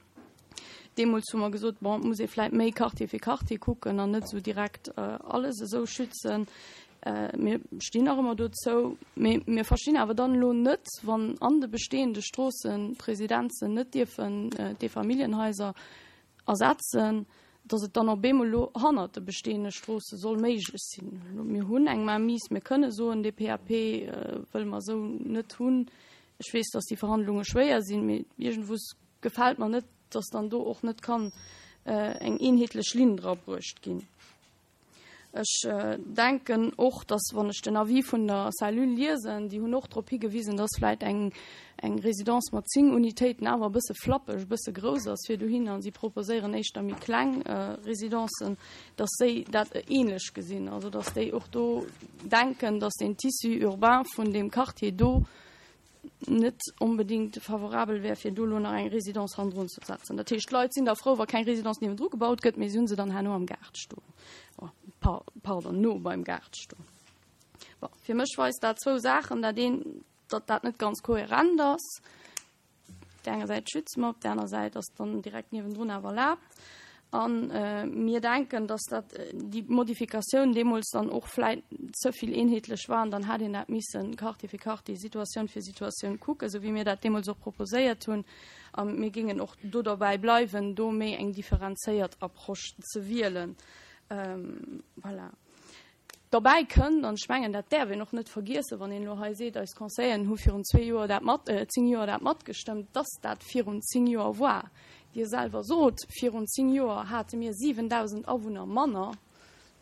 Deemools hu mer gesot, bon, et muss ee vläit méi Quartier fir Quartier kucken an net esou direkt alles esou schützen. Mir stinn nach ëmmer dozou, mee mir verstinn awer dann elo net, wann an de bestehende Stroossen d'Residenzen net dierfen d'Eefamilljenhaiser ersetzen, datt et dann op eemol elo hannert de bestehende Stroosse soll méiglech sinn. Mir hunn eng Mainmise, mir kënne soen, dee PAP wëlle mer esou net hunn. Ech weess, datt déi Verhandlunge schwéier sinn, mee iergendwous gefält mer net, datt dann do och net kann eng eenheetlech Linn dra bruecht ginn. Ech denken och, dass, wann ech den Avis vun der Cellule liesen, déi hunn och drop higewisen, dass vläicht eng, eng Résidence mat 10 Unitéiten awer e bësse flappeg, e bësse grouss ass fir dohin, a si proposéieren éischter méi kleng Résidencen, dass déi dat ähnlech gesinn, also dass déi och do denken, dass den Tissu urbain vun deem Quartier do net onbedéngt favorabel wär, fir do elo nach eng Résidence hannendrun ze setzen. Dat heescht, d'Leit sinn da frou, wa keng Résidence niewendru gebaut gëtt, mee si hu se dann herno am Gaart stoen. Oh, pardon, no beim Gaart stoen. Bon, fir mech weist dat zwou Saachen. Dat eent, datt dat net ganz kohärent ass. Op där enger Säit schütze mer, op där aner Säit ass dann direkt niewendrun awer erlaabt. A mir denken, dass dat déi Modifikatioun deemools dann och vläit ze vill eenheetlech war an dann hätt een dat missen Quartier fir Quartier, Situatioun fir Situatioun kucken, esou wéi mir dat deemools och proposéiert hunn. A mir géingen och do derbäi bleiwen, do méi eng differenzéiert Approche ze wielen. Voilà. Derbäi kënnt, an ech mengen, dat däerf een och net vergiessen, wann een elo hei seet, eis Conseilleren hu virun zwee Joer dat mat, zéng Joer dat matgestëmmt, dass dat virun zéng Joer war. Dir selwer sot, virun zéng Joer hate mir 7.000 Awunner manner.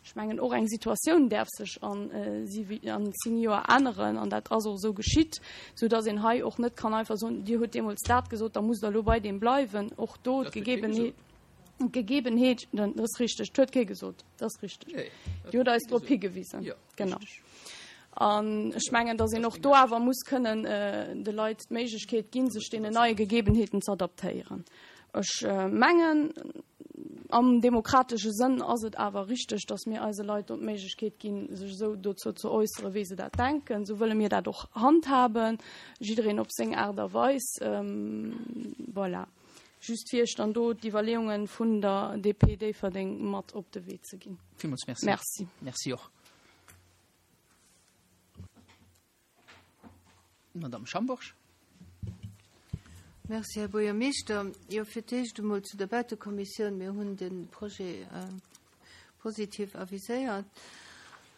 Ech mengen, och eng Situatioun däerf sech an zéng Joer änneren, an dat ass och esou geschitt, soudass een hei och net kann einfach soen, Dir hutt deemools dat gesot, da musst Der elo bei deem bleiwen. Och do d'Gegebenheet. Gegebenheet, dat ass richteg, dat huet kee gesot, dat ass richteg. Dir hutt eis drop higewisen. Genau. An ech mengen, datt een och do awer muss kënnen de Leit d'Méiglechkeet ginn, sech deenen neie Gegebenheeten ze adaptéieren. Ech mengen, am demokratesche Sënn ass et awer richteg, datt mir eise Leit do d'Méiglechkeet ginn, sech esou dozou ze äusseren, wéi se dat denken. Esou wëlle mir dat och handhaben, jiddereen op seng Aart a Weis. Voilà. Just fir Iech dann do d'Iwwerleeungen vun der DP Déifferdeng mat op de Wee ze ginn. Villmools Merci. Merci. Merci och. Madame Schambourg. Merci, Här Buergermeeschter. Jo, fir d'éischt emol zu der Bautekommissioun. Mir hunn de Projet positiv aviséiert.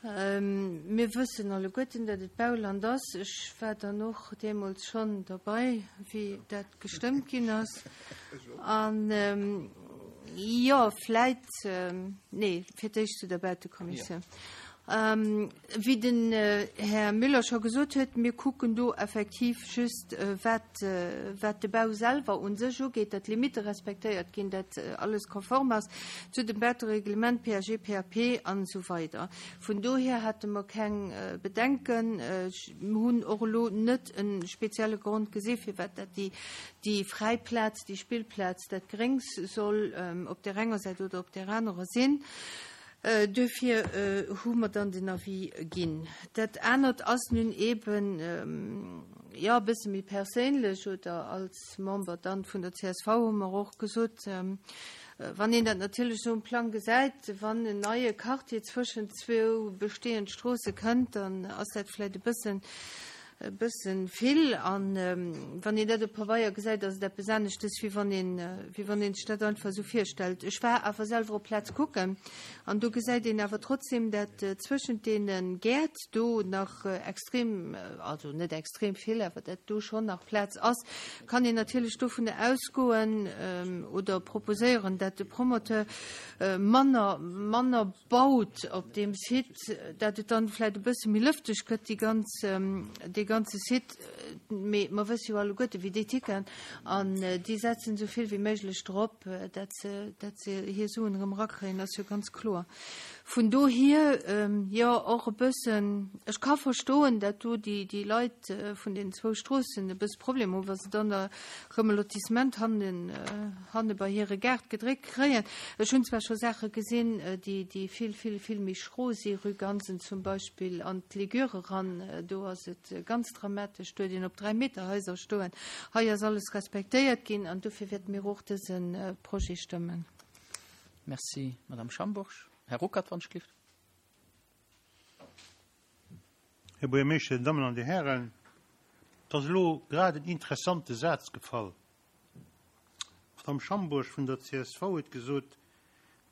Mir wëssen alleguerten, datt et Bauland ass. Ech war dann och deemools schonn derbei, wéi dat gestëmmt ginn ass. An jo, vläit, nee, fir d'éischt zu der Bautekommissioun. Wéi den Här Müller scho gesot huet, mir kucken do effektiv just, wat, wat de Bau selwer u sech ugeet, datt d'Limitte respektéiert ginn, datt alles konform ass zu dem Bautereglement, PAG, PAP an esou weider. Vun dohier hate mer keng Bedenken. Mir hunn och elo net e spezielle Grond gesi firwat dat déi, déi fräi Plaz, déi Spillplaz, dat Gréngs soll op där enger Säit oder op där anerer sinn. Duerfir hu mer dann den Avis ginn. Dat anert ass nun eeben, jo, e bësse méi perséinlech oder als Member dann vun der csv hu mer och gesot, wann een dat natierlech esou um Plang gesäit, wann en neie Quartier zwëschen zwou bestehend Stroosse kënnt, dann ass dat vläicht e bëssen. E bëssen vill an wann een dat op Pabeier gesäit, ass et eppes aneschtes, wéi wann een, wéi wann een sech dat einfach esou virstellt. Ech war awer selwer op d'Plaz kucken an do gesäit een awer trotzdem, dat zwëschent deene Gäert do nach extrem, also net extrem vill, awer dat do schonn nach Plaz ass. Kann een natierlech dovun ausgoen oder proposéieren, dat de Promoteur manner, manner baut op deem Site, dat et dann vläit e bësse méi lëfteg gëtt, déi ganz, dee ganze Site. Mee mer wësse jo alleguerte wéi déi ticken an déi setzen esou vill wéi méiglech drop, dat se, dat se hir Suen erëm erakréien, ass jo ganz kloer. Vun dohier, jo, och e bëssen, ech ka verstoen, dat do déi, déi Leit vun den zwou Stroossen e bësse Problem hunn, wa se dann da erëm e Lotissement hannen, hanne bei hire Gaart gedréckt kréien. Ech hunn zwar scho Saache gesinn, déi, déi vill, vill, vill méi schro si, Rue Gansen zum Beispill an d'Ligure eran, do ass et ganz dramatesch, do huet een op Dräimeterhaiser stoen. Hei ass alles respektéiert ginn an dofir wäerte mir och dëse Projet stëmmen. Merci, Madame Schambourg. Här Ruckert, wann ech gelift. Här Buergermeeschter, Dir Dammen an Dir Hären, et ass elo grad en interessante Saz gefall. D'Madame Schambourg vun der csv huet gesot,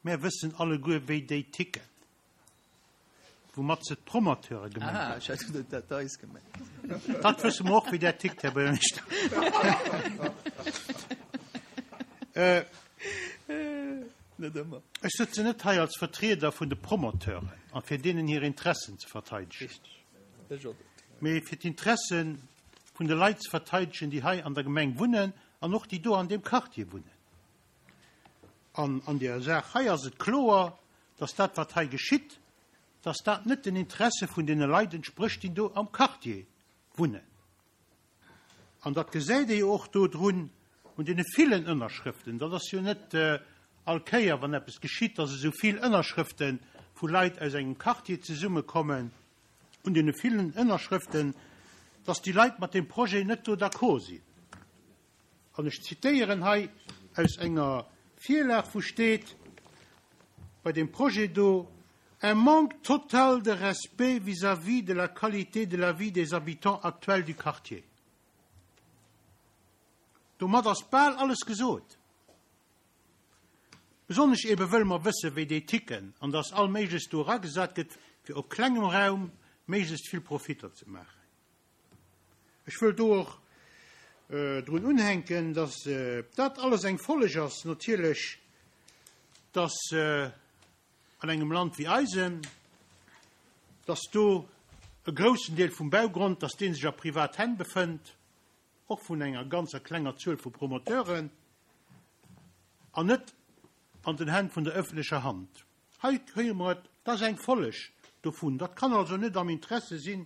Mär wëssen alleguer, wéi déi ticken. Woumat se d'Promoteure gemengt huet. Ah, ech hat dat eis gemengt. Dat wësse mer och, wéi där tickt, Här Buergermeeschter. Net ëmmer. Ech sëtzen net hei als Vertrieder vun de Promoteuren a fir deenen hir Interessen ze verteidegen. Richteg. Ech och net. Mee fir d'Interesse vun de Leit ze verteidegen, déi hei an der Gemeng wunnen an och déi do an deem Quartier wunnen. An an där Saach hei ass et kloer, dass dat, wat hei geschitt, dass dat net den Interesse vun deene Leit entsprécht, déi do am Quartier wunnen. An dat gesäit ee jo och do drun, un deene villen Ënnerschrëften. Dat ass jo net all Kéier, wann eppes geschitt, dass esou vill Ënnerschrëfte vu Leit aus engem Quartier zesummekommen. un deene villen Ënnerschrëften, dass déi Leit mat deem Projet net do d'accord sinn. An ech zitéieren hei aus enger Virlag, wou steet bei deem Projet do, Un manque total de respect vis-à-vis de la qualité de la vie des habitants actuels du quartier. Domat ass bal alles gesot. Besonnesch ebe wëll mer wësse wéi déi ticken an dass all Méiglechst do eragesat gëtt fir op klengem Raum méiglechst vill Profitter ze maachen. Ech wëll do och drun unhänken, dass dat alles eng Folleg ass natierlech, dass an engem Land wéi eisem, dass do e groussen Deel vum Baugrond, dass dee sech a privat Hänn befënnt, och vun enger ganzer klenger Zuel vu Promoteuren, an net an den Hänn vun der öffentlecher Hand. Hei héiere mer et, dat ass eng Folleg dovun. Dat kann also net am Interesse sinn,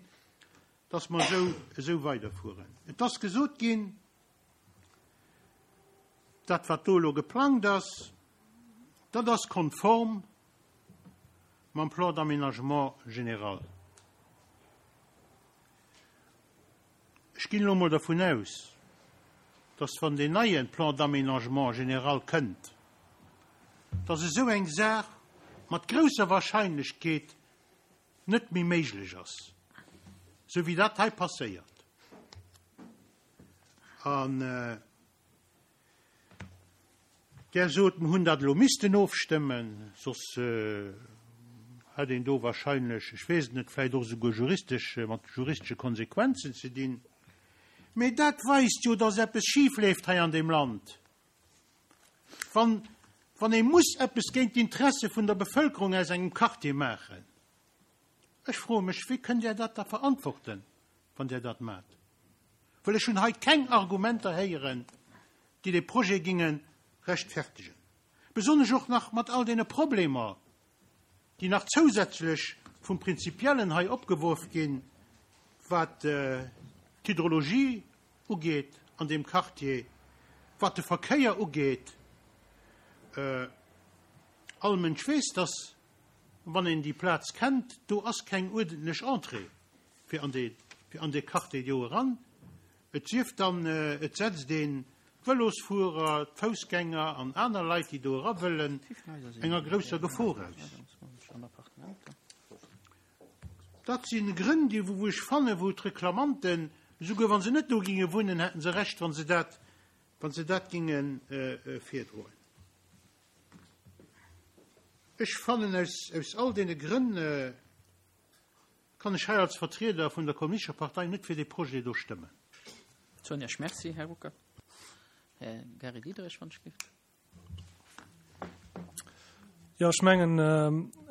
dass mer esou esou weiderfueren. Et ass gesot ginn, dat wat do elo geplangt ass, dat ass konform mam Plan d'aménagement général. Ech ginn elo emol dervun aus, dass, wann deen neie Plan d'aménagement général kënnt, dass esou eng Saach mat grousser Wahrscheinlechkeet net méi méiglech ass, esou wéi dat hei passéiert. An. Där sot, mer hunn dat elo missten ofstëmmen, soss hätt een do wahrscheinlech, ech weess et net, vläicht och esouguer juristesch, mat juristesche Konsequenzen ze dinn. Mee dat weist jo, dass eppes schifleeft hei an deem Land, wann, wann ee muss eppes géint d'Interesse vun der Bevëlkerung aus engem Quartier maachen. Ech froe mech, wéi kënnt Där dat da verantworten, wann Där dat maacht? Well ech hunn hei keng Argumenter héieren, déi dee Projet ginge rechtfertegen. Besonnesch och nach mat all deene Problemer, déi nach zousätzlech vum Prinzipiellen hei opgeworf ginn, wat d'Hydrologie ugeet an deem Quartier, wat de Verkéier ugeet. All Mënsch weess, dass, wann een déi Plaz kennt, do ass keng uerdentlech Entrée fir an dee, fir an dee Quartier do eran. Et sief dann, et setzt een d'Vëlosfuerer, d'Foussgänger an aner Leit, déi do era wëllen, enger grousser Gefor aus. Dat si Grënn, déi wou ech fannen, wou d'Reklamanten, esouguer wa se net do ginge wunnen, hätten se Recht, wa se dat, wa se dat ginge virdroen. Ech fannen, aus, aus all deene Grënn kann ech hei als Vertrieder vun der Kommunistescher Partei net fir dee Projet do stëmmen. Soen Iech Merci, Här Ruckert. Här Gary Diderich, wann ech giff. Jo, ech mengen,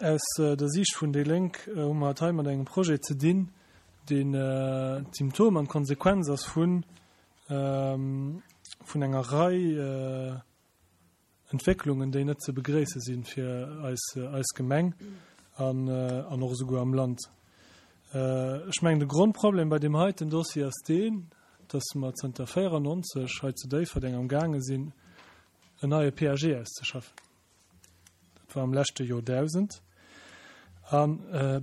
aus der Siicht vun déi Lénk hu mer et hei mat engem Projet ze dinn, deen d'Symptom an d'Konsequenz ass vun vun enger Rei Entwécklungen, déi net ze begréisse si fir eis eis Gemeng an an och esouguer am Land. Ech mengen, de Grondproblem bei deem heiten Dossier ass deen, dass mer zënter 94 hei zu Déifferdeng amgaange sinn, en neie PAG auszeschaffen. Dat war am leschte Joerdausend. A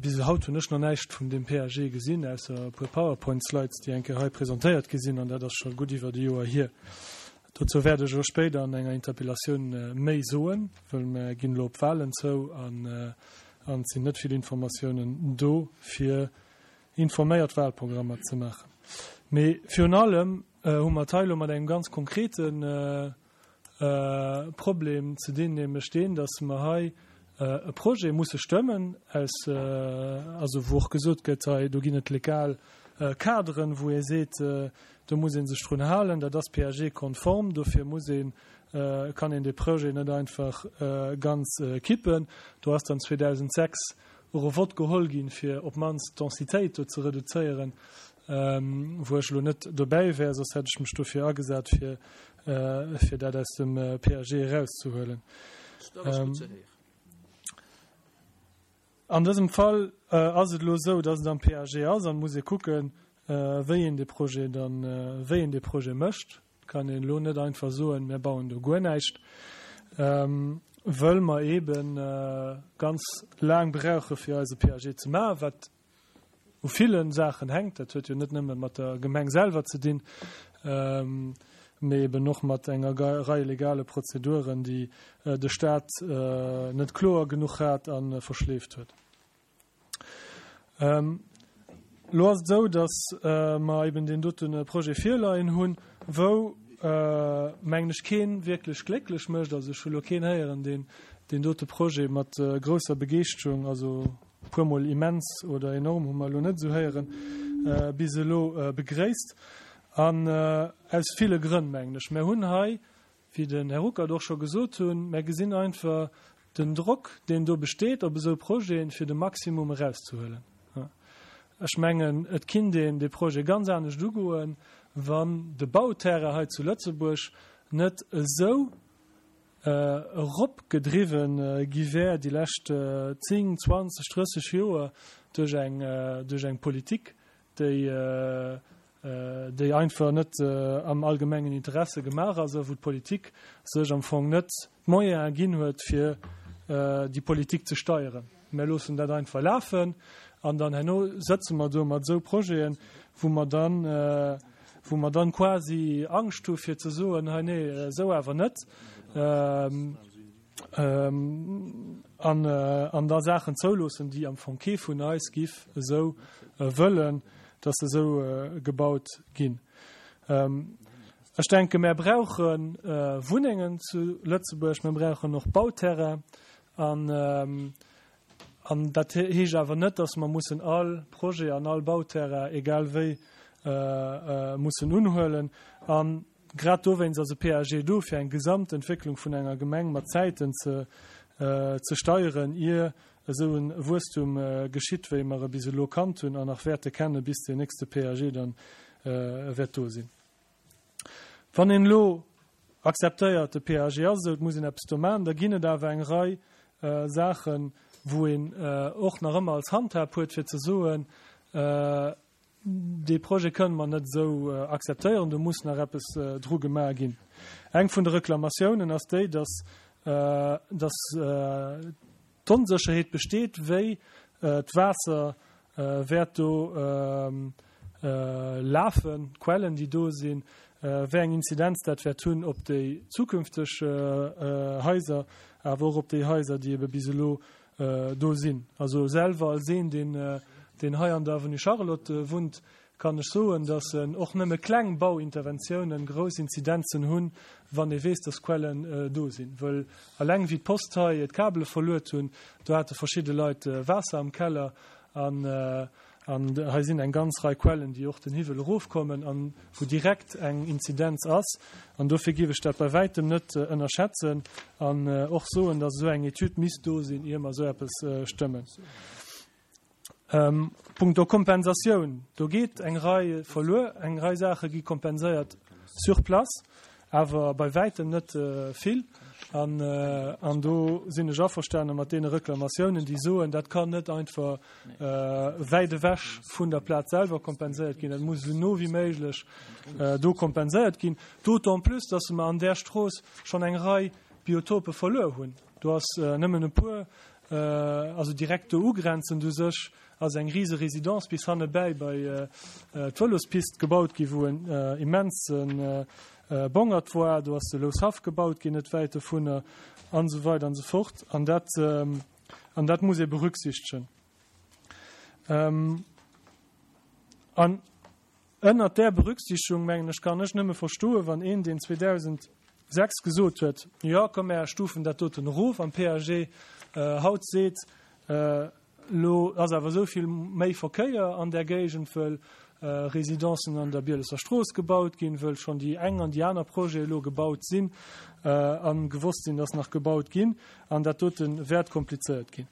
bis haut hunn ech nach näischt vun deem PAG gesinn, ausser e puer PowerPoint-Slides, déi eng Kéier hei presentéiert gi sinn, an dat ass scho gutt iwwert e Joer hier. Dozou wäert ech och spéider an enger Interpellatioun méi soen, wëll mer ginn elo op d'Wahlen zou an et sinn net vill Informatiounen do, fir informéiert Wahlprogrammer ze maachen. Mee virun allem hu mer et hei elo mat engem ganz konkrete Problem ze dinn, nämlech deen, dass mer hei e Projet musse stëmmen, aus, also wou och gesot gëtt, hei do ginn et legal Kaderen, wou ee seet, do muss ee sech drun halen, dat ass PAG-konform, dofir muss een, kann een dee Projet net einfach ganz kippen. Do ass dann 2006 och e Vott geholl ginn, fir op d'mannst d'Densitéit do ze reduzéieren, wou ech elo net dobäi wär, soss hätt ech mech dofir agesat, fir, fir dat aus dem PAG erauszehuelen. An dësem Fall ass et elo esou, dass et am PAG ass an et muss ee kucken, wéi een dee Projet dann, wéi een dee Projet mécht. Et kann een elo net einfach soen, mir bauen do guer näischt, wëll mer eebe ganz laang brauche fir eise PAG ze maachen, wat u ville Saachen hänkt. Dat huet jo net nëmme mat der Gemeng selwer ze dinn, mee eben och mat enger Rei legale Prozeduren, déi de Stat net kloer genuch hat a verschleeft huet. Elo ass et esou, datt mer eben deen dote Projet virleien hunn, wou, mengen ech, kee wierklech glécklech mécht. Also ech hu elo keen héieren, deen deen dote Projet mat grousser Begeeschterung, also e puermol immens oder enorm hu mer elo net esou héieren, bis elo begréisst. An aus ville Grënn, mengen ech. Mer hunn hei Wéi den Här Ruckert och scho gesot hunn, mär gesinn einfach den Drock, deen do besteet op esou Projeten, fir de Maximum erauszehuelen. Ech mengen, et kinnt een dee Projet ganz anescht ugoen, wann de Bauterrain hei zu Lëtzebuerg net esou eropgedriwwen gi wär déi lescht 10, 20, 30 Joer duerch eng, duerch eng Politik, déi, déi einfach net am allgemengen Interesse gemaach ass a wou d'Politik sech am Fong net d'Moyene ginn huet, fir déi Politik ze steieren. Mär loossen dat einfach lafen an dann herno sëtze mer do mat esou Projeten, wou mer dann, wou mer dann quasi Angscht hu fir ze soen, hei nee, esou awer net. An an da Saachen zouloossen, déi am Fong kee vun eis giff esou wëllen, dass se esou gebaut ginn. Ech denke mär brauche Wunnengen zu Lëtzebuerg, mär brauchen och Bauterrain. An an dat heescht awer net, dass mer mussen all Projet an all Bauterrain egal wéi mussen unhuelen. An Grad dowéinst ass e PAG do, fir eng Gesamtentwécklung vun enger Gemeng mat Zäiten ze ze steieren, ier esou e Wuesstum geschitt, wéi mer e bis elo kannt hunn an nach wäerte kenne bis deen nächste PAG dann wäert do sinn. Wann een elo akzeptéiert, de PAG ass esou, et muss een eppes do maachen, da ginn et awer eng Rei Saachen, wou een och nach ëmmer als Handhab huet, fir ze soen, Dee Projet kënne mer net esou akzeptéieren, do muss nach eppes dru gemaach ginn. Eng vun de Reklamatiounen ass déi, dass, dass d'Onsécherheet besteet, wéi d'Waasser wäert do lafen, d'Quellen, déi do sinn, wéi eng Inzidenz dat wäert hunn op déi zukünfteg Haiser, awer och op déi Haiser, déi ebe bis elo do sinn. Also selwer als een, deen. deen hei an der Avenue Charlotte wunnt, kann ech soen, dass och nëmme kleng Bauinterventiounen grouss Inzidenzen hunn, wann ee weess, dass Quellen do sinn. Wëll eleng wéi d'Post hei d'Kabele verluet hunn, do hate verschidde Leit Waasser am Keller an An hei sinn eng ganz Rei Quellen, déi och den Hiwwel erofkommen an wou direkt eng Inzidenz ass. An dofir géif ech dat bei wäitem net ënnerschätzen an och soen, dass esou eng Etüd misst do sinn, ier mer esou eppes stëmmen. Punkto Kompensatioun, do geet eng Rei verluer, eng Rei Saache gi kompenséiert sur place. Awer bei wäitem net vill. An, an do sinn ech averstane mat deene Reklamatiounen, déi soen, dat kann net einfach wäit ewech vun der Plaz selwer kompenséiert ginn, dat muss esou no wéi méiglech do kompenséiert ginn. D'autant plus, dass mer an där Strooss schonn eng Rei Biotope verluer hunn. Do ass nëmmen e puer, also direkt do ugrenzend u sech, ass eng rise Résidence bis hannebäi bei d'Vëlospist gebaut ginn, wou en immense Bongert war. Do ass de Loushaff gebaut ginn, net wäit dovunner, an esou weider an esou fort. An dat, an dat muss ee berücksichtegen. An Ënnert där Berücksichtigung, mengen ech, kann ech nëmme verstoen, wann een, deen 2006 gesot huet, Jo, komm, mär stufen dat doten erof am PAG, haut seet, Elo ass awer esou vill méi Verkéier an där Géigend, wëll Residencen an der Bielesser Strooss gebaut ginn, wëll schonn déi eng an déi aner Projete elo gebaut sinn a gewosst sinn, dass nach gebaut ginn, an dat dote wäert komplizéiert ginn.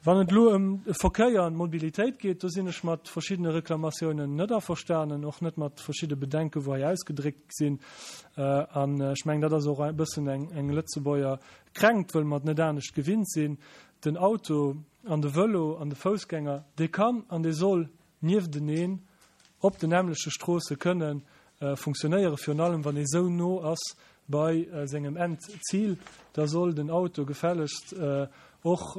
Wann et elo ëm de Verkéier an d'Mobilitéit geet, do sinn ech mat verschiddene Reklamatiounen net averstanen, och net mat verschidde Bedenken, wou hei ausgedréckt sinn. An ech mengen, dat ass och e bëssen eng Lëtzebuerger Kränkt, wëll mer et net anescht gewinnt sinn. Den Auto an de Vëlo an de Foussgänger, dee kann an dee soll niefteneen op den nämmleche Stroosse kënne funktionéieren, virun allem wann ee sou no ass bei sengem Endzil, da soll den Auto gefällegst och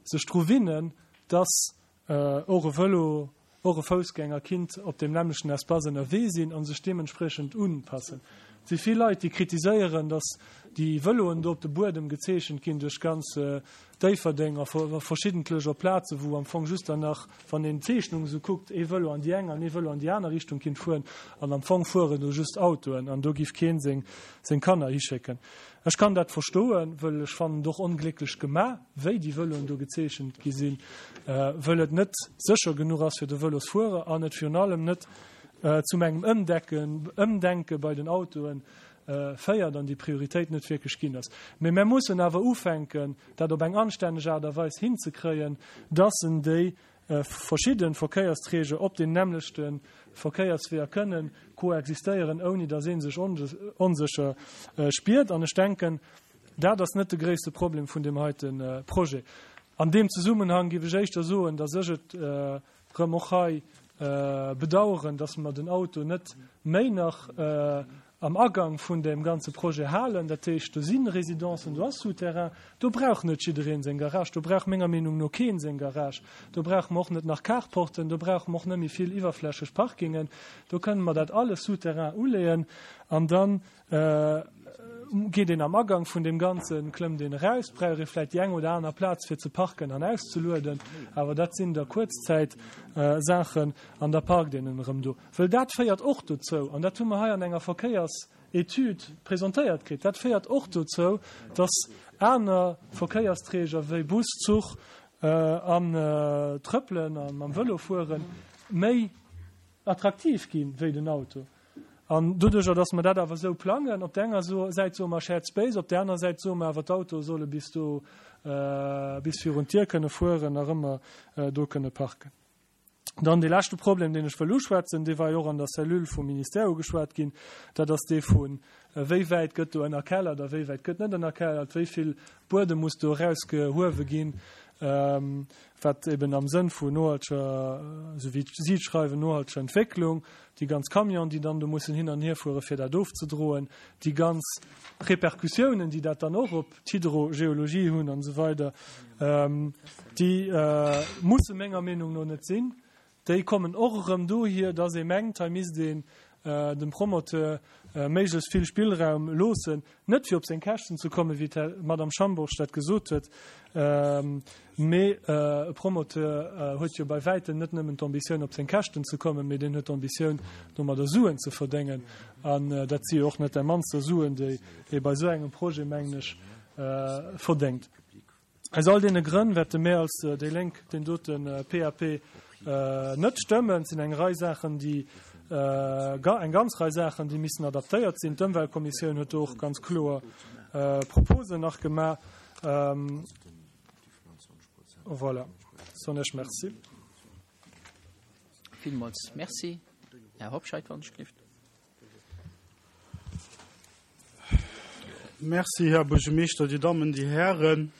sech dru winnen, dass och e Vëlo, och e Foussgänger kinnt op deem nämmlechten Espace ënnerwee sinn a sech deementspriechend unpassen. Et si vill Leit, déi kritiséieren, dass déi Vëloen do op de Buedem gezeechent ginn duerch ganz Déifferdeng a verschiddentlech op Plaze wou am Fong just dann nach, wann een d'Zeechnung esou kuckt, ee Vëlo an déi eng an ee Vëlo an déi aner Richtung kinnt fueren an am Fong fueren do just Autoen an do giff keen seng seng Kanner hischécken. Ech kann dat verstoen, wëll ech fannen et och onglécklech gema wéi déi Vëloen do gezeechent gi sinn, wëll et net sécher genuch ass fir de Vëlosfuerer an et virun allem net zum engem Ëmdecken Ëmdenke bei den Autoen féiert an déi Prioritéit net wierklech ginn ass. Mee mär mussen awer ufänken, dat op eng anstänneg Aart a Weis hinzekréien, dass en déi verschidde Verkéiersträger op den nämmlechte Verkéiersweeër kënnen koexistéieren, ouni dass ee sech onsécher spiert. An ech denken, dat ass net de gréisste Problem vun deem heite Projet. An deem Zesummenhang géif ech éischter soen, dass ech et rëm och hei bedauern, dass mer den Auto net méi nach am Agang vun deem ganze Projet halen. Dat heescht, do si Residencen, do ass Souterrain, do brauch net jidderee seng Garage, do brauch menger Meenung no kee seng Garage, do brauche mer och net nach Carporten, do brauche mer och net méi vill iwwerflächeg Parkingen, do kënnen mer dat alles Souterrain uleeën an dann Geet een am Agang vun deem Ganzen, klëmmt een eraus, brauch ee vläit déi eng oder aner Plaz fir ze parken an auszelueden, awer dat sinn da Kuerzzäitsaachen an da parkt een en erëm do. Wëll dat féiert och dozou, an dat hu mer hei an enger Verkéiersetüd presentéiert kritt, dat féiert och dozou, dass aner Verkéiersträger wéi Bus, Zuch an Trëppelen a mam Vëlo fuere méi attraktiv ginn wéi den Auto. An doduerjer, dass mer dat awer esou plangen, op där enger Säit soe mer Shared Space, op där aner Säit soe mer awer, d'Autoe solle bis do, bis virun d'Dier kënne fueren, nach ëmmer do kënne parken. Dann dee leschte Problem, deen ech wëll uschwätzen, dee war jo och an der Cellule vum Ministère ugeschwat ginn, dat ass dee vu wéi wäit gëtt do ënnerkellert a wéi wäit gëtt net ënnerkellert, wéi vill Buedem muss do erausgehuewe ginn, wat eben am Sënn vun nohalteger, esou wéi si et schreiwen, nohalteger Entwécklung, déi ganz Camionen, déi dann do mussen hin an hierfuere fir dat ofzedroen, déi ganz Repercussiounen, déi dat dann och op d'Hydrogeologie hunn an esou weider, déi musse menger Meenung no net sinn. Déi kommen och erëm dohier, dass ee mengt, hei misst een dem Promoteur méiglechst vill Spillraum loossen, net fir op seng Käschten ze kommen, wéi d'Madame Schambourg dat gesot huet, mee e Promoteur huet jo bei wäitem net nëmmen d'Ambitioun op seng Käschten ze kommen, mee deen huet d'Ambitioun domadder Suen ze verdéngen. An dat si jo och net där mannster Suen, déi ee bei esou engem Projet, mengen ech, verdéngt. Aus all deene Grënn wäerte mir als déi Lénk deen dote PAP net stëmmen. Et sinn eng Rei Saachen, déi, eng ganz Rei Saachen, déi missen adaptéiert sinn. D'Ëmweltkommissioun huet do och ganz kloer Proposen nach gemaach. Voilà, soen ech Merci. Villmools Merci. Här Hobscheit, wann ech gelift. Merci, Här Buergermeeschter, Dir Dammen, Dir Hären.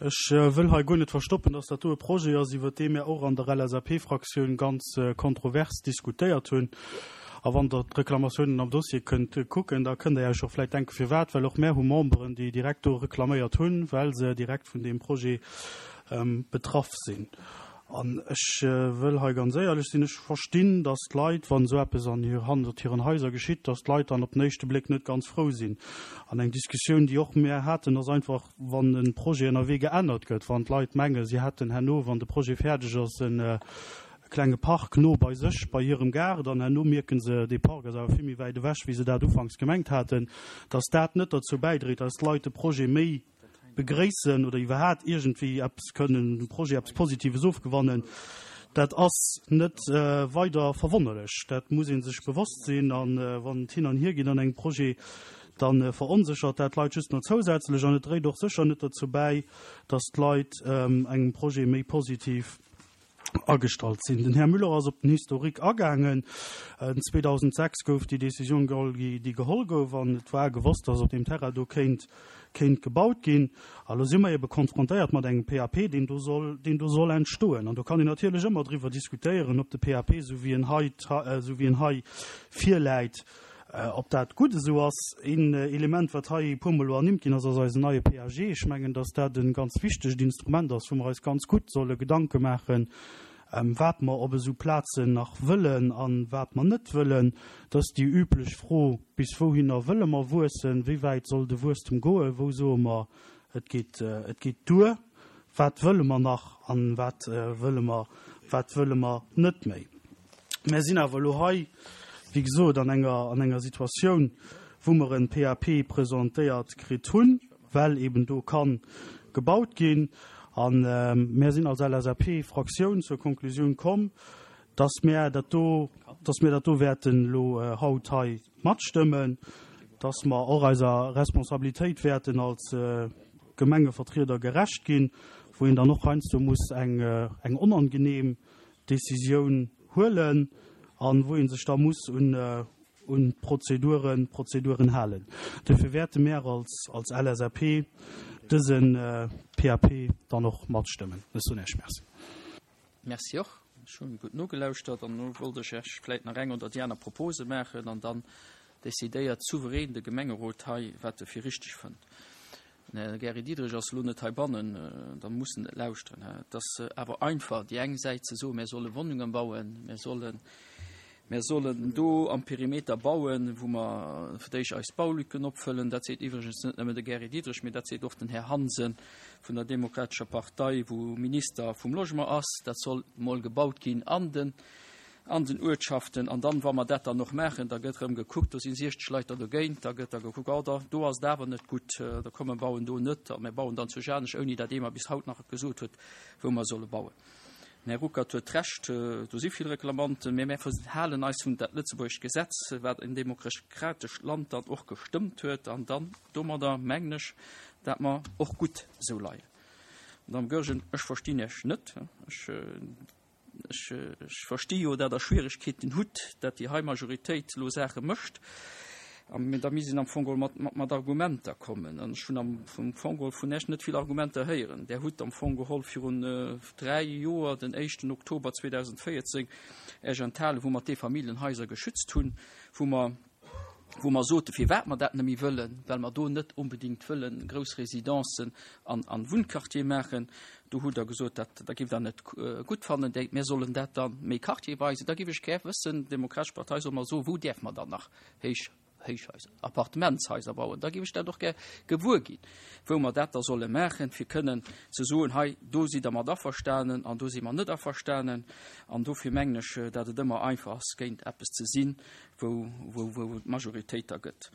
Ech wëll hei guer net verstoppen, dass dat do e Projet ass, iwwert dee mir och an der LSAP-Fraktioun ganz kontrovers diskutéiert hunn. A wann Der d'Reklamatiounen am Dossier kënnt kucken, da kënnt Der Iech och vläicht denken, firwat. Well och mär hu Memberen, déi direkt do reklaméiert hunn, well se direkt vun deem Projet betraff sinn. An ech wëll hei ganz éierlech sinn, Ech verstinn, datt d'Leit, wann esou eppes an hir, hannert hiren Haiser geschitt, datt d'Leit dann op den éischte Bléck net ganz frou sinn. An eng Diskussioun, déi och mär haten, ass einfach, wann e Projet ënnerwee geännert gëtt, wann d'Leit mengen, si hätten herno, wann de Projet fäerdeg ass, e klenge Park no bei sech, bei hirem Gaart, an herno mierke se, dee Park ass awer vill méi wäit ewech, wéi se dat ufanks gemengt haten, datt dat net derzou bäidréit, datt d'Leit de Projet méi begréissen oder iwwerhaat iergendwéi eppes kënnen dem Projet eppes Positives ofgewannen, dat ass net weider verwonnerlech. Dat muss ee sech bewosst sinn. A wann et hin an hier geet an engem Projet, da veronséchert dat d'Leit just nach zousätzlech an et dréit och sécher net dozou bäi, datt d'Leit engem Projet méi positiv agestallt sinn. Den Här Müller ass op den Historique agaangen. 2006 gouf déi Décisioun geholl, déi geholl gouf, an et war gewosst, dass op deem Terrain do kéint, kéint gebaut ginn. A lo si mer ebe konfrontéiert mat engem PAP, deen do soll, deen do soll entstoen. An do kann een natierlech ëmmer driwwer diskutéieren, ob de PAP, esou wéi en hei, esou wéi en hei virläit, Ob dat gutt esou ass? Een Element, wat hei e puermol elo ernimmt ginn ass, ass eisen neie PAG. Ech mengen, dass dat e ganz wichtegt Instrument ass, wou mer eis ganz gutt solle Gedanke maachen, wat mer op esou Plazen nach wëllen a wat mer net wëllen. Dat ass déi üblech Fro, Bis wouhinner wëlle mer wuessen? Wéi wäit soll de Wuesstem goen? Wou soe mer, et geet, et geet duer? Wat wëlle mer nach a wat wëlle mer, wat wëlle mer net méi? Mär sinn awer elo hei, wéi gesot, an enger, an enger Situatioun, wou mer en PAP presentéiert kritt hunn, well eben do ka gebaut ginn. A mär sinn als LSAP-Fraktioun zur Konklusioun komm, dass mär dat do, dass mär dat do wäerten elo haut hei matstëmmen, dass mer och eiser Responsabilitéit wäerten als Gemengevertrieder gerecht ginn, wou een dann och heiansdo muss eng, eng onangenehm Décisioun huelen an wou ee sech da muss un un d'Prozeduren Prozeduren halen. Duerfir wäerte mär als als LSAP dëse PAP dann och matstëmmen. Ech soen Iech Merci. Merci och. Ech hu gutt nogelauschtert an elo wollt ech Iech vläicht nach eng oder déi aner Propose maachen an dann decidéiert souverän de Gemengerot hei, wat e fir richteg fënnt. Den Här Gary Diderich ass elo net heibannen, da muss en net lauschteren. Et ass awer einfach, déi eng Säit ze soen, mir solle Wunnungen bauen, mir sollen, mir sollen do am Perimeter bauen, wou mer fir d'éischt eis Baulücken opfëllen. Dat seet iwwregens net nëmmen de Gary Diderich, mee dat seet och den Här Hansen vun der Demokratescher Partei, wou Minister vum Logement ass. Dat soll mol gebaut ginn an den an den Uertschaften. An dann, wa mer dat dann och maachen, da gëtt erëm gekuckt, do si 60 Leit der dogéint, da gëtt da gekuckt, oh da, do ass et awer net gutt, da komm mer bauen do net a mir bauen dann zu Janech, ouni dat ee mer bis haut nach gesot huet, wou mer solle bauen. Den Här Ruckert huet Recht, do si vill Reklamanten, mä mir halen eis un dat lëtzebuergescht Gesetz, wat en demokratescht Land dann och gestëmmt huet, an dann domadder mengen ech, dat mer och gutt esou leien. Madame Goergen, ech verstinn Iech net. Ech. Ech versti jo, dat Der Schwieregkeeten hutt, dat déi hei Majoritéit elo Saache mécht. A da misst een am Fong geholl mat Argumenter kommen. An ech hunn am Fong geholl vun Iech net vill Argumenter héieren. Der hutt am Fong geholl virun dräi Joer, den éischten Oktober 2014, Iech enthalen, wou mer d'Eefamilljenhaiser geschützt hunn, wou mer. Wou mer sote firwat mer dat net méi wëllen, well mer do net onbedéngt wëllen grouss Residencen an an Wunnquartier maachen. Do hutt Der gesot, dat da giff Der net gutt fannen, déi mir sollen dat da méi quartierweise. Da giff ech gär wëssen, d'Demokratesch Partei soll mer soen, wou däerf mer dann nach héich Héichhaiser, Appartementshaiser bauen. Da giff ech dat och gär gewuer ginn, wou mer dat da solle maachen, fir kënnen ze soen, hei do sidd Der mat averstanen an do si mer net averstanen. An dofir mengen ech, datt et ëmmer einfach ass, géint eppes ze sinn, wou, wou, wou et d'Majoritéit da gëtt.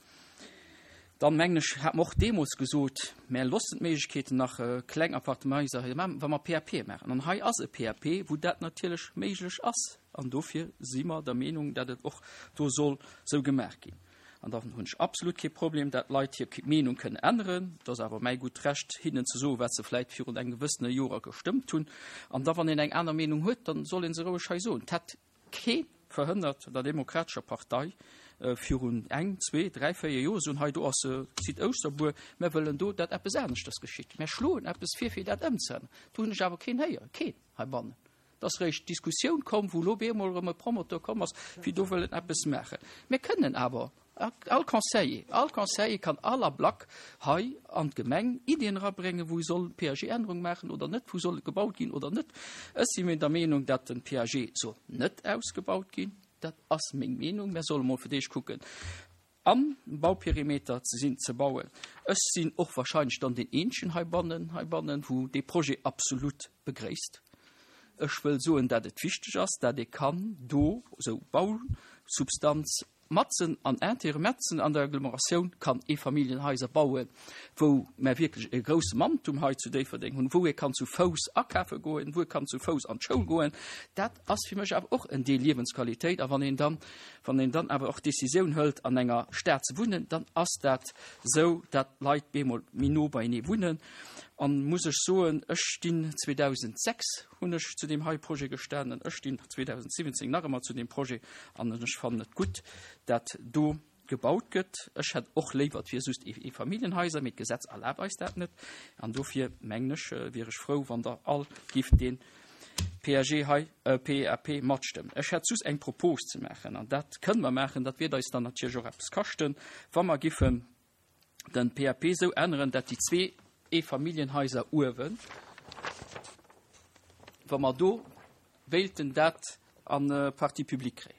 Dann, mengen ech, hat mer och deemools gesot, Mär loossen d'Méiglechkeeten nach kleng Appartementshaiser hei maachen, wa mer PAP maachen. An hei ass e PAP, wou dat natierlech méiglech ass. An dofir si mer der Meenung, dat et och do soll esou gemaach ginn. An dann hunn ech absolut kee Problem, dat Leit hir Meenung kënnen änneren. Et ass awer mäi gutt Recht, hinnen ze soen, wat se vläicht virun engem gewëssene Joer gestëmmt hunn. An da wann een eng aner Meenung huet, dann soll ee se roueg hei soen. Et hätt Kee verhënnert der Demokratescher Partei virun eng, zwee, dräi, véier Joer soen, hei do ass e Site Ouschterbuer, mär wëllen do, dat eppes aneschters geschitt, mär schloen eppes vir, fir dat ëmzeänneren. Do hunn ech awer keen héieren, keen heibannen. Et ass eréischt d'Diskussioun komm, wou elo op eemol erëm e Promoteur komm ass, fir do wëllen eppes maachen. Mär kënnen awer All Conseiller, all Conseiller kann all Ablack hei an d'Gemeng Iddien erabréngen, wou soll PAG-Ännerung maachen oder net, wou soll gebaut ginn oder net. Ech si mir der Meenung, datt den PAG soll net ausgebaut ginn. Dat ass meng Meenung. Mär solle mol fir d'éischt kucken, am Bauperimeter ze sinn, ze bauen. Ech sinn och wahrscheinlech dann deen Eenzegen heibannen, heibannen, wou dee Projet absolut begréisst. Ech wëll soen, datt et wichteg ass, datt ee kann do esou Bausubstanz Matzen an Intérêt, matzen an der Agglomeratioun kann Eefamilljenhaiser bauen, wou mer wierklech e grousse Manktum hei zu Déifferdeng hunn, wou ee kann zu Fouss akafe goen, wou ee kann zu Fouss an d'Schoul goen. Dat ass fir mech awer och en Deel Liewensqualitéit. A wann een dann, wann een dann awer och d'Décisioun hëlt, an enger Stad ze wunnen, dann ass dat esou, dat d'Leit bemol méi no beienee wunnen. An muss ech soen, ech stinn 2006 hunn ech zu deem hei Projet gestanen, ech stinn 2017 nach ëmmer zu deem Projet an ech fannen et gutt, dat do gebaut gëtt. Ech hätt och léiwer, et wier just Eefamilljenhaiser, mee d'Gesetz erlaabt eis dat net. An dofir mengen ech, wier ech frou, wann Der all gift dee PAG hei, PAP matstëmmen. Ech hätt just eng Propos ze maachen, an dat kënne mer maachen, dat wiert eis dann natierlech och eppes kaschten, wa mer giffen den PAP esou änneren, dat déi zwee Eefamilljenhaiser uewen, wa mer do wéilten dat an Partie publique kréien.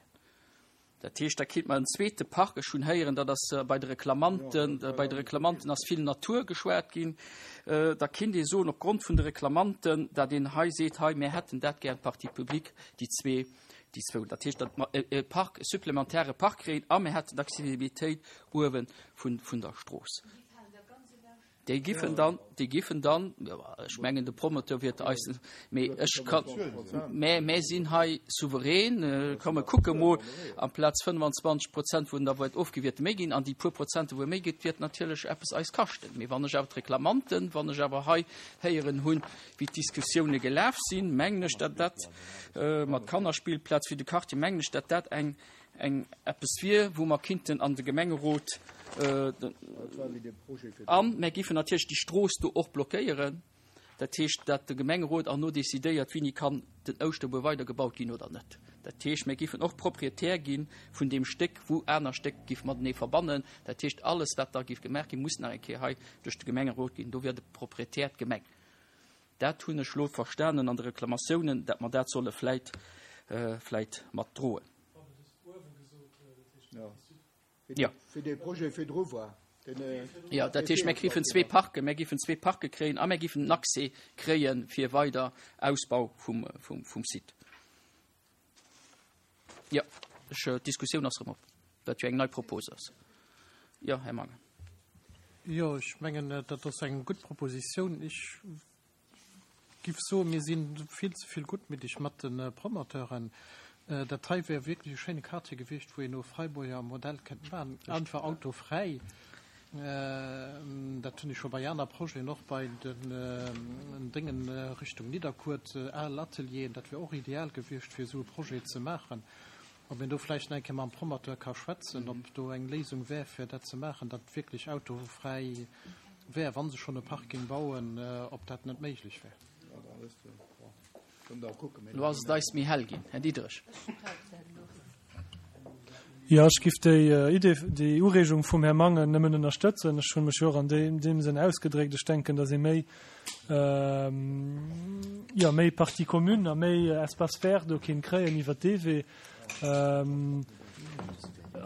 Dat heescht, da kritt mer en zweete Park. Ech hunn héieren, dat ass bei de Reklamanten, bei de Reklamanten ass vill Natur geschwat ginn. Da kinnt ee soen, opgrond vun de Reklamanten, dat een hei seet, hei, mir hätten dat gär an Partie publique, déi zwee, déi zwou. Dat heescht, datt mer e Park, e supplementäre Park kréien a mir hätten d'Accessibilitéit uewe vun, vun der Strooss. Déi giffen dann, déi giffen dann, ech mengen de Promoteur wiert eis, mee ech kann, mä mä sinn hei souverän, komm mer kucke mol, amplaz 25 Prozent wou en da wäert ofgi wierte méi ginn an déi puer Prozente wou e méi gëtt, wiert natierlech eppes eis kaschten. Mee wann ech awer d'Reklamanten, wann ech awer hei héieren hunn, wéi d'Diskussioune gelaf sinn, mengen ech, datt dat mat Kannerspillplaz fir de Quartier, mengen ech, datt dat eng, eng eppes wier, wou mer kinnten an de Gemengerot, a mer giffen natierlech déi Strooss do och blockéieren, dat heescht, datt de Gemengerot erno decidéiert, wéini kann den Ouschterbuer weidergebaut ginn oder net. Dat heescht, mer giffen och Proprietär gi vun deem Stéck, wou aner Stéck giff matenee verbannen. Dat heescht, alles, wat da giff gemaach ginn, muss nach eng Kéier hei duerch de Gemengerot ginn. Do wier de Proprietär d'Gemeng. Dat hunn ech elo verstanen an de Reklamatiounen, dat mer dat solle vläit, vläit mat droen. Jo. Wéi dee Projet virdru war, deen. Jo, dat heescht, mir krifen zwee Parken, mir giffen zwee Parke kréien a mir giffen den Accès kréie fir weider Ausbau vum, vum, vum Site. Jo, ech, d'Diskussioun ass erëm op, wat jo eng nei Propos ass. Jo, Här Mangen. Jo, ech mengen, dat ass eng gutt Propositioun. Ech giff soen, mir si vill ze vill guttmiddeg mat de Promoteuren. Dat hei wär wierklech e schéine Quartier gewiescht, wou een no Freiburger Modell kënnt maachen, einfach autofräi. Dat hunn ech scho bei aner Projeten, och bei den Déngen Richtung Nidderkuer, al Atelieren, dat wär och ideal gewiescht, fir esou e Projet ze maachen. Ob een do vläicht nach eng Kéier mam Promoteur ka schwätzen, ob do eng Léisung wär, fir dat ze maachen, datt wierklech autofräi wär, wa se schonn e Parking bauen, ob dat net méiglech wär. Elo ass et eis méi hell ginn, Här Diderich. Jo, ech giff déi Idee, déi Ureegung vum Här Mangen nëmmen ënnerstëtzen. Ech hunn mech jo och an deem Sënn ausgedréckt. Ech denken, datt ee méi, jo, méi Partie commune a méi Espace vert do kéint kréien iwwert dee Wee.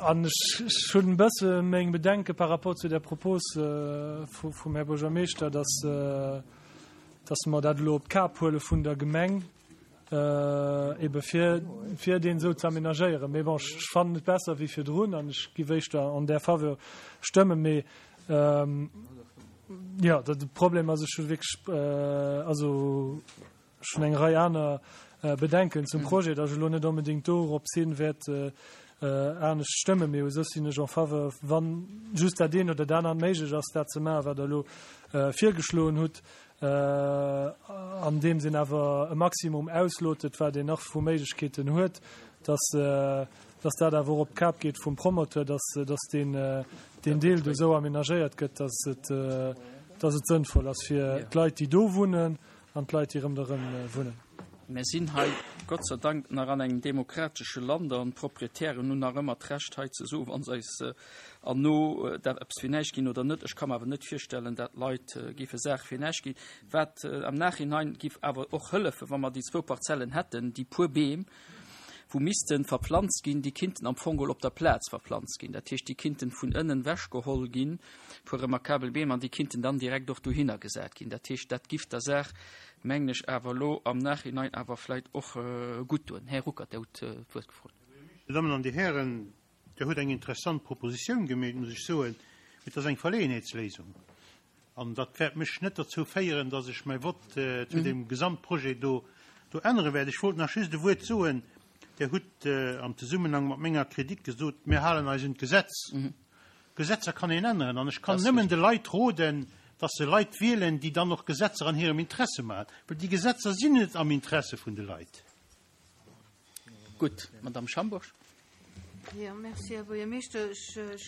An ech hunn e bësse meng Bedenke par rapport zu der Propos vum Här Buergermeeschter, datt, datt mer dat elo op d'Kap huele vun der Gemeng. Ebe fir, fir deen esou ze aménagéieren. Mee bon, ech fannen et besser wéi virdrun an ech giff éischter an där Faveur stëmmen. Mee jo, de Problem ass, ech hu wierklech, also ech hunn eng Rei aner Bedenken zum Projet, datt ech elo net onbedéngt dorops hin wäert anescht stëmmen. Mee u sech sinn ech en faveur, wann just dat eent oder dat anert méiglech ass, dat ze maachen, wat Der elo virgeschloen hutt. Andeems een awer e Maximum auslotet, wat een nach vu Méiglechkeeten huet, dass, dass dat awer och op d'Kap geet vum Promoteur, dass, dass deen, deen Deel do esou aménagéiert gëtt, dass et, dass et sënnvoll ass fir d'Leit, déi do wunnen an d'Leit, déi ronderëm wunnen. Mir sinn hei Gott sei Dank nach an engem demokratesche Land an d'Proprietären hunn nach ëmmer d'Recht hei ze soen, wa se eis an no dat eppes fir näischt ginn oder net. Ech ka mer awer net virstellen, dat Leit géife Saache fir näischt ginn. Wat am Nachhinein giff awer och hëllefen, wa mer déi zwou Parzellen hätten, déi puer Beem, wou misste verplanzt ginn, déi kinnten am Fong geholl op der Plaz verplanzt ginn. Dat heescht, déi kinnten vun ënnen wechgeholl ginn, puer remarkabel Beem, an déi kinnten dann direkt och dohinner gesat ginn. Dat heescht, dat giff der Saach, mengen ech, awer elo am Nachhinein awer vläicht och gutt doen. Här Ruckert, Der hutt d'Wuert gefrot. Dir Dammen an Dir Hären, Der hutt eng interessant Propositioun gemeet, muss ech soen, mee et ass eng Verleeënheetsléisung. An dat wäert mech net derzou féieren, dass ech mäi Vott zu deem Gesamtprojet do do ännere wäert. Ech wollt nach just e Wuert soen. Der hutt am Zesummenhang mat menger Kritik gesot, mir halen eis un d'Gesetz. Gesetzer kann een änneren. An ech kann nëmmen de Leit roden, dass se Leit wielen, déi dann och Gesetzer an hirem Interesse maachen, well déi Gesetzer sinn net am Interesse vun de Leit. Gutt, Madamm Schambourg. Jo, merci, Här Buergermeeschter. Ech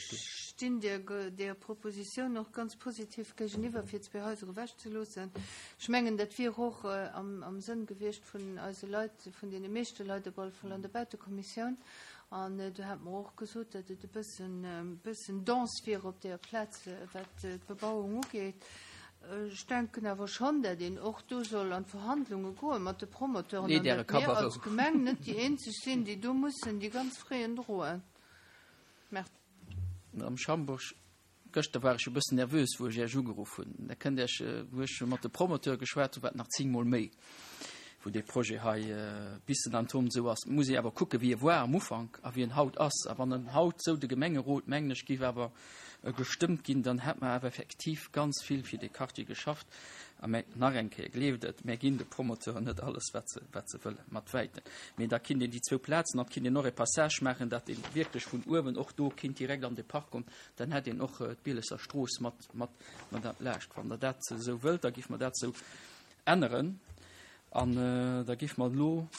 stinn där Propositioun och ganz positiv géigeniwwer, fir zwee Haiser ewechzeloossen. Ech mengen, dat wier och am Sënn gewiescht vun eise Leit, vun deene meeschte Leit op alle Fall an der Bautekommissioun. An do hate mer och gesot, datt et e bëssen dense wier op där Plaz, wat d'Bebauung ugeet. Ech denken awer schonn, datt een och do soll an d'Verhandlunge goe mat de Promoteuren an datt mir als Gemeng net déi eenzeg sinn, déi do mussen déi ganz Frais droen. Merci. Madame Schambourg, gëschter war ech e bëssen nervös, wou ech Iech ugeruff hunn. Da kënnt Iech, wou ech mat de Promoteure geschwat hunn, war et nach zéngmol méi, wou dee Projet hei bis en Anton esou ass. Muss ee awer kucken, wéi e war am Ufank a wéi en haut ass. A wann en haut esou de Gemengerot, mengen ech, géif awer gestëmmt ginn, dann hätt mer awer effektiv ganz vill fir dee Quartier geschafft. A mä nach eng Kéier, gleeft et, mär ginn de Promoteuren net alles, wat se, wat se wëllen, mat Wäiten. Mee da kinnt een déi zwou Plazen, an et kinnt een och e Passage maachen, dat ee wierklech vun uewen och do kinnt direkt an de Park kommen. Dann hätt een och d'Bielesser Strooss mat, mat, mat entlaascht. Wann Der dat esou wëllt, da géife mer dat esou änneren. An da géife mer elo.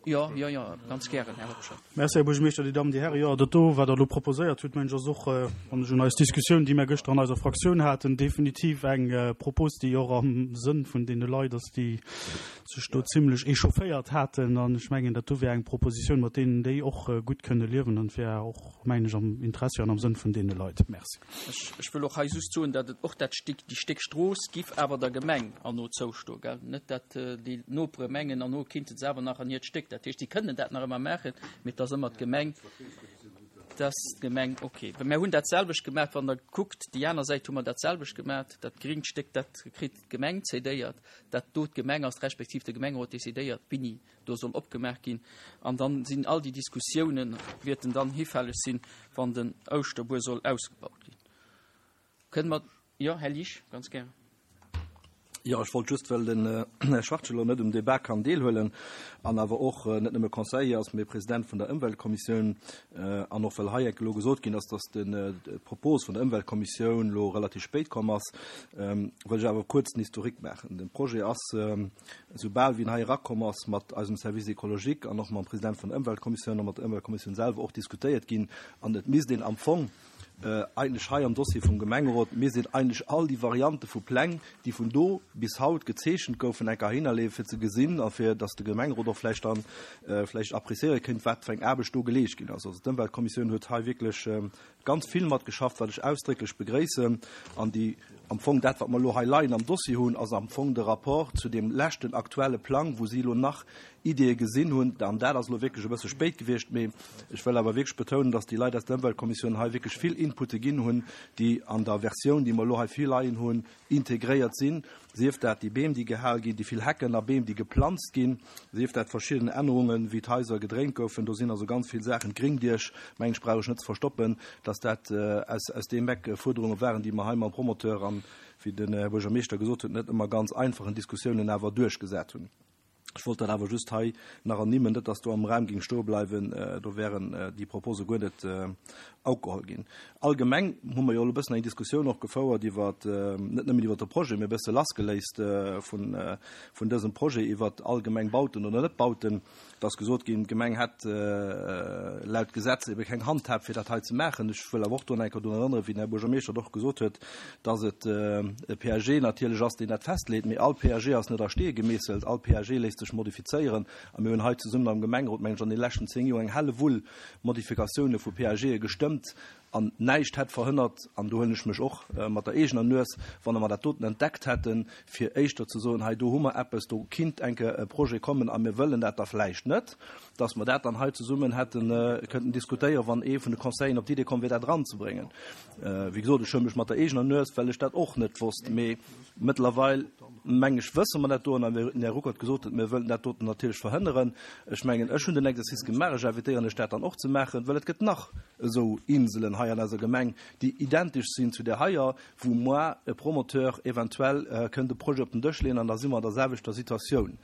Jo, jo, jo, ganz gären, Här Hobscheit. Merci, Här Buergermeeschter, Dir Dammen, Dir Hären. Jo, dat do, wat Der elo proposéiert hutt, mengen ech, ass och, wann ech un eis Diskussioun, déi mir gëschter an eiser Fraktioun haten, definitiv eng Propos, déi och am Sënn vun deene Leit ass, déi sech do zimlech echaufféiert haten. An ech mengen, dat do wär eng Propositioun, mat deenen déi och gutt kënne liewen an et wär och, mengen ech, am Interessi an am Sënn vun deene Leit. Merci. Ech wëll och hei just soen, datt et och dat Stéck, déi Stéck Strooss giff awer der Gemeng herno zoustoen, gell? Net datt déi Nopere mengen, herno kinnte se awer nach an hiert Stéck. Dat heescht, si kënnen dat nach ëmmer maachen, mee et ass ëmmer d'Gemeng, dass d'Gemeng, okay. Well mir hunn dat selwecht gemaach, wann Der kuckt, déi aner Säit hu mer dat selwecht gemaach, dat gringt Stéck, dat kritt d'Gemeng cédéiert, dat do d'Gemeng ass, respektiv de Gemengerot decidéiert, wéini do soll opgemaach ginn. An dann sinn all déi Diskussiounen, wäerten dann hifälleg sinn, wann den Ouschterbuer soll ausgebaut ginn. Kënnen mer, jo, Här Liesch, ganz gären. Jo, ech wollt just, well den Här Schwartz elo net um Débat kann deelhuelen an awer och net nëmme Conseiller ass, mee President vun der Ëmweltkommissioun, an och well hei enk elo gesot ginn ass, dass d'Propos vun der Ëmweltkommissioun elo relativ spéit komm ass, wëll ech awer kuerz den Historique maachen. De Projet ass Esou bal wéi en hei erakomm ass, mat eisem Service écologique an och mam President vun der Ëmweltkommissioun a mat der Ëmweltkommissioun selwer och diskutéiert ginn. An et misst een am Fong. Eigentlech hei am Dossier vum Gemengerot, mir sinn eigentlech all déi Variante vu Pläng, déi vun do bis haut gezeechent goufen, enker heihinnerleeën, fir ze gesinn a fir datt de Gemengerot och vläicht dann vläicht appréciéiere kéint, wat fir eng Aarbecht do geleescht ginn ass. Also d'Ëmweltkommissioun huet hei wierklech ganz vill matgeschafft, wat ech ausdrécklech begréissen. An déi am Fong dat, wat mer elo hei leien am Dossier hunn, ass am Fong de Rapport zu deem leschten aktuelle Plang, wou si elo nach Ideeë gesinn hunn. An dat ass elo wierklech e bësse spéit gewiescht, mee ech wëll awer wierklech betounen, dass déi Leit aus der Ëmweltkommissioun hei wierklech vill Inputte ginn hunn, déi an der Versioun, déi mer elo hei virleien hunn, integréiert sinn, sief dat déi Beem, déi gehal ginn, déi vill Hecken a Beem, déi geplanzt ginn, sief dat verschidden Ännerungen, wéi d'Haiser gedréint goufen. Do sinn also ganz vill Saachen. D'Gringdiech, mengen ech, brauch ech net ze verstoppen, dass dat aus deem Eck Fuerderunge waren, déi mer hei mam Promoteur an, wéi den Här Buergermeeschter gesot huet, net ëmmer ganz einfachen Diskussiounen awer duerchgesat hunn. Ech wollt dat awer just hei nach ernimmen, net dass do am Raum géing stoe bleiwen, do wären déi Propose guer net ugeholl ginn. Allgemeng hu mer jo elo e bëssen eng Diskussioun och gefouert iwwer, net nëmmen iwwer de Projet, mee e bësse lassgeléist vun, vun dësem Projet, iwwer allgemeng Bauten oder net Bauten. Et ass gesot ginn, d'Gemeng hätt laut Gesetz ebe keng Handhab, fir dat hei ze maachen. Ech wëll awer och do nach eng Kéier drun erënneren, wéi den Här Buergermeeschter et och gesot huet, dass et e PAG natierlech ass, deen dat festleet. Mee all PAG ass net a Stee gemeesselt, all PAG léisst sech modifizéieren. A mir hunn hei zesummen am Gemengerot, mengen ech, an deene leschten 10 Joer eng Hellewull Modifikatioune vu PAGe gestëmmt. An näischt hätt verhënnert, an do huelen ech mech och mat der eegener Nues, wann mer dat doten entdeckt hätten, fir éischter ze soen, hei do hu mer eppes, do kinnt eng Kéier e Projet kommen a mir wëllen dat da vläicht net, dass mer dat dann hei zesummen hätte kënnten diskutéieren, wann ee vun de Conseilleren op d'Idee komm wier, dat eranzebréngen. Wéi gesot, ech huele mech mat der eegener Nues, well ech dat och net wosst. Mee mëttlerweil, meng ech, wësse mer dat do. An wéi den Här Ruckert gesot huet, mir wëllen dat doten natierlech verhënneren. Ech mengen, ech hunn den Exercice gemaach, ech invitéieren lech dat dann och ze maachen, well et gëtt nach esou Inselen hei an eiser Gemeng, déi identesch sinn zu där heier, wou moar e Promoteur eventuell kënnt e Projet op den Dësch leeën an da si mer an der selwechter Situatioun.